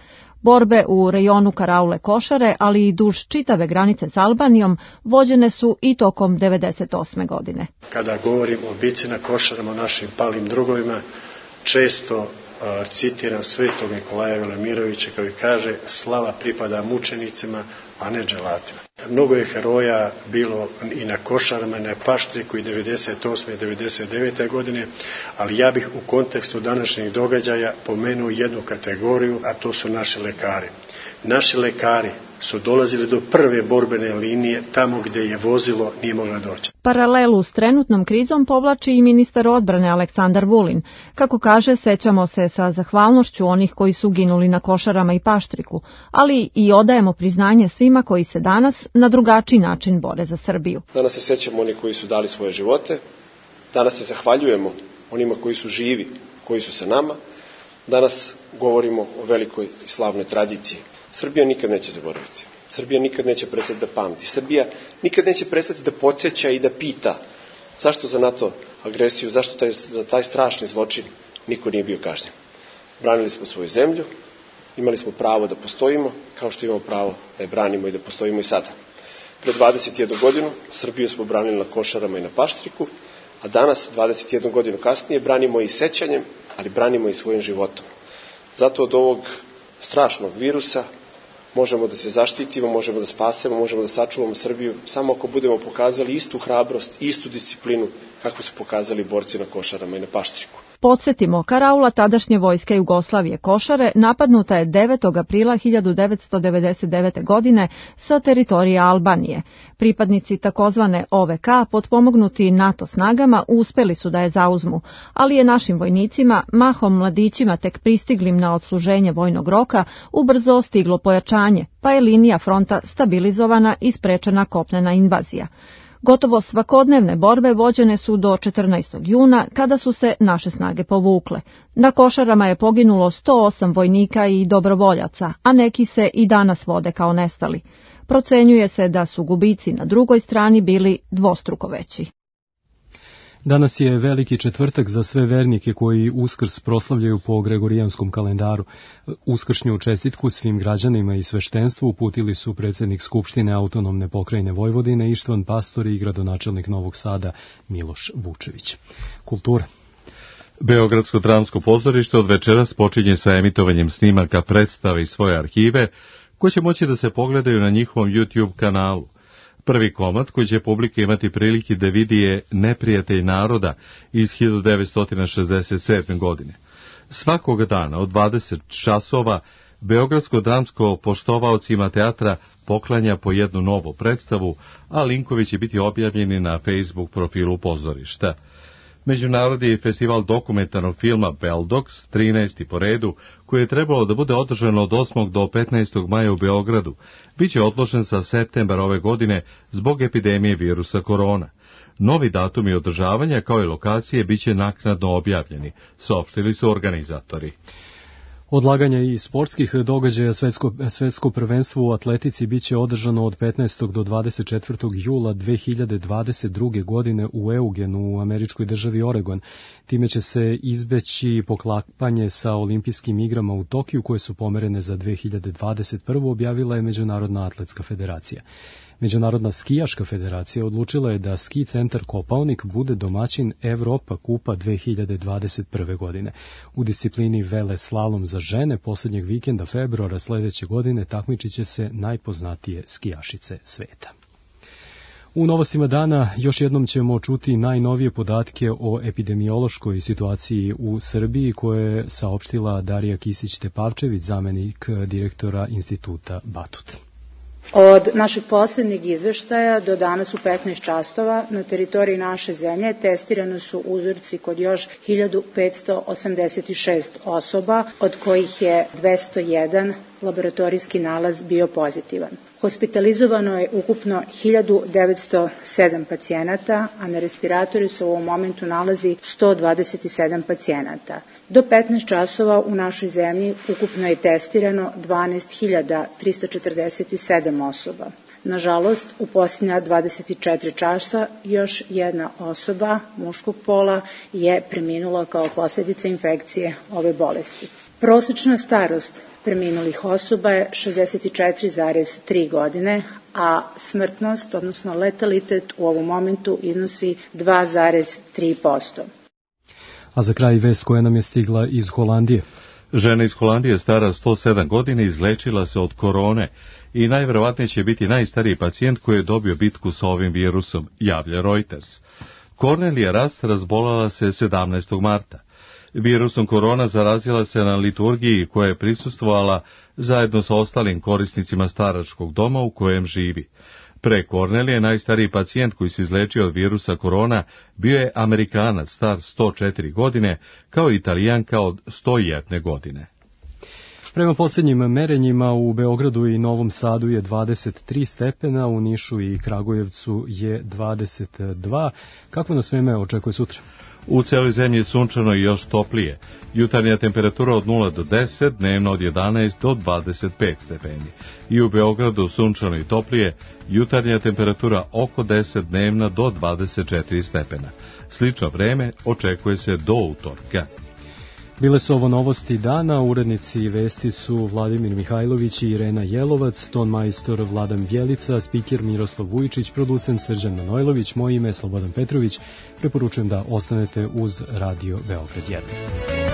Borbe u rejonu Karaule Košare, ali i duž čitave granice s Albanijom, vođene su i tokom 1998. godine. Kada govorim o bici na Košarama, o našim palim drugovima, često citiram svetog Nikolaja Velimirovića koji kaže: slava pripada mučenicima, a ne dželatima. Mnogo je heroja bilo i na Košarama, i na Paštriku i 98. i 99. godine, ali ja bih u kontekstu današnjih događaja pomenuo jednu kategoriju, a to su naši lekari. Naši lekari su dolazili do prve borbene linije, tamo gde je vozilo nije mogla doći. Paralelu s trenutnom krizom povlači i ministar odbrane Aleksandar Vulin. Kako kaže, sećamo se sa zahvalnošću onih koji su ginuli na Košarama i Paštriku, ali i odajemo priznanje svima koji se danas na drugačiji način bore za Srbiju. Danas se sećamo onih koji su dali svoje živote, danas se zahvaljujemo onima koji su živi, koji su sa nama, danas govorimo o velikoj i slavnoj tradiciji. Srbija nikad neće zaboraviti. Srbija nikad neće prestati da pamti. Srbija nikad neće prestati da podsjeća i da pita zašto za NATO agresiju, zašto za taj strašni zločin niko nije bio kažnjen. Branili smo svoju zemlju, imali smo pravo da postojimo, kao što imamo pravo da je branimo i da postojimo i sada. Pre 21 godinu Srbiju smo branili na Košarama i na Paštriku, a danas, 21 godinu kasnije, branimo i sećanjem, ali branimo i svojim životom. Zato od ovog strašnog virusa možemo da se zaštitimo, možemo da spasemo, možemo da sačuvamo Srbiju samo ako budemo pokazali istu hrabrost, istu disciplinu kako su pokazali borci na Košarama i na Paštriku. Podsjetimo, karaula tadašnje vojske Jugoslavije Košare napadnuta je 9. aprila 1999. godine sa teritorije Albanije. Pripadnici takozvane OVK, potpomognuti NATO snagama, uspeli su da je zauzmu, ali je našim vojnicima, mahom mladićima tek pristiglim na odsluženje vojnog roka, ubrzo stiglo pojačanje, pa je linija fronta stabilizovana i sprečena kopnena invazija. Gotovo svakodnevne borbe vođene su do 14. juna, kada su se naše snage povukle. Na Košarama je poginulo 108 vojnika i dobrovoljaca, a neki se i danas vode kao nestali. Procenjuje se da su gubici na drugoj strani bili dvostruko veći. Danas je veliki četvrtak za sve vernike koji Uskrs proslavljaju po Gregorijanskom kalendaru. Uskršnju čestitku svim građanima i sveštenstvu uputili su predsjednik Skupštine autonomne pokrajine Vojvodine Ištvan Pastor i gradonačelnik Novog Sada Miloš Vučević. Kultura. Beogradsko dramsko pozorište od večeras počinje sa emitovanjem snimaka predstave iz svoje arhive, koje će moći da se pogledaju na njihovom YouTube kanalu. Prvi komad koji će publika imati prilike da vidi je Neprijatelj naroda iz 1967. godine. Svakog dana od 20 časova Beogradsko dramsko poštovaocima teatra poklanja po jednu novu predstavu, a linkovi će biti objavljeni na Facebook profilu pozorišta. Međunarodni festival dokumentarnog filma Beldox, 13. po redu, koji je trebalo da bude održan od 8. do 15. maja u Beogradu, biće odložen za septembar ove godine zbog epidemije virusa korona. Novi datumi održavanja kao i lokacije biće naknadno objavljeni, saopštili su organizatori. Odlaganja i sportskih događaja svetsko prvenstvo u atletici biće održano od 15. do 24. jula 2022. godine u Eugenu u američkoj državi Oregon. Time će se izbeći poklapanje sa olimpijskim igrama u Tokiju koje su pomerene za 2021. objavila je Međunarodna atletska federacija. Međunarodna skijaška federacija odlučila je da ski centar Kopaonik bude domaćin Evropa kupa 2021. godine. U disciplini vele slalom za žene posljednjeg vikenda februara sledeće godine takmičit će se najpoznatije skijašice sveta. U novostima dana još jednom ćemo čuti najnovije podatke o epidemiološkoj situaciji u Srbiji koje je saopštila Darija Kisić-Tepavčević, zamenik direktora instituta Batut. Od našeg posljednjeg izveštaja do danas u 15 časova na teritoriji naše zemlje testirano su uzorci kod još 1586 osoba, od kojih je 201 laboratorijski nalaz bio pozitivan. Hospitalizovano je ukupno 1907 pacijenata, a na respiratoru se u ovom momentu nalazi 127 pacijenata. Do 15 časova u našoj zemlji ukupno je testirano 12.347 osoba. Nažalost, u posljednja 24 časa još jedna osoba muškog pola je preminula kao posljedica infekcije ove bolesti. Prosečna starost preminulih osoba je 64,3 godine, a smrtnost, odnosno letalitet u ovom momentu iznosi 2,3%. A za kraj vest koja nam je stigla iz Holandije. Žena iz Holandije stara 107 godina izlečila se od korone i najverovatnije će biti najstariji pacijent koji je dobio bitku sa ovim virusom, javlja Reuters. Kornelija Rast razbolala se 17. marta. Virusom korona zarazila se na liturgiji koja je prisustvovala zajedno sa ostalim korisnicima staračkog doma u kojem živi. Pre Kornelije najstariji pacijent koji se izlečio od virusa korona bio je Amerikanac star 104 godine, kao Italijanka od 101 godine. Prema posljednjim merenjima u Beogradu i Novom Sadu je 23 stepena, u Nišu i Kragujevcu je 22. Kako nas vreme očekuje sutra? U celoj zemlji je sunčano i još toplije. Jutarnja temperatura od 0 do 10, dnevno od 11 do 25 stepeni. I u Beogradu sunčano i toplije, jutarnja temperatura oko 10, dnevna do 24 stepena. Slično vreme očekuje se do utorka. Bile su ovo novosti dana, urednici vesti su Vladimir Mihajlović i Irena Jelovac, ton majstor Vladan Bjelica, spiker Miroslav Vujičić, producent Srđan Manojlović, moje ime je Slobodan Petrović. Preporučujem da ostanete uz Radio Beograd 1.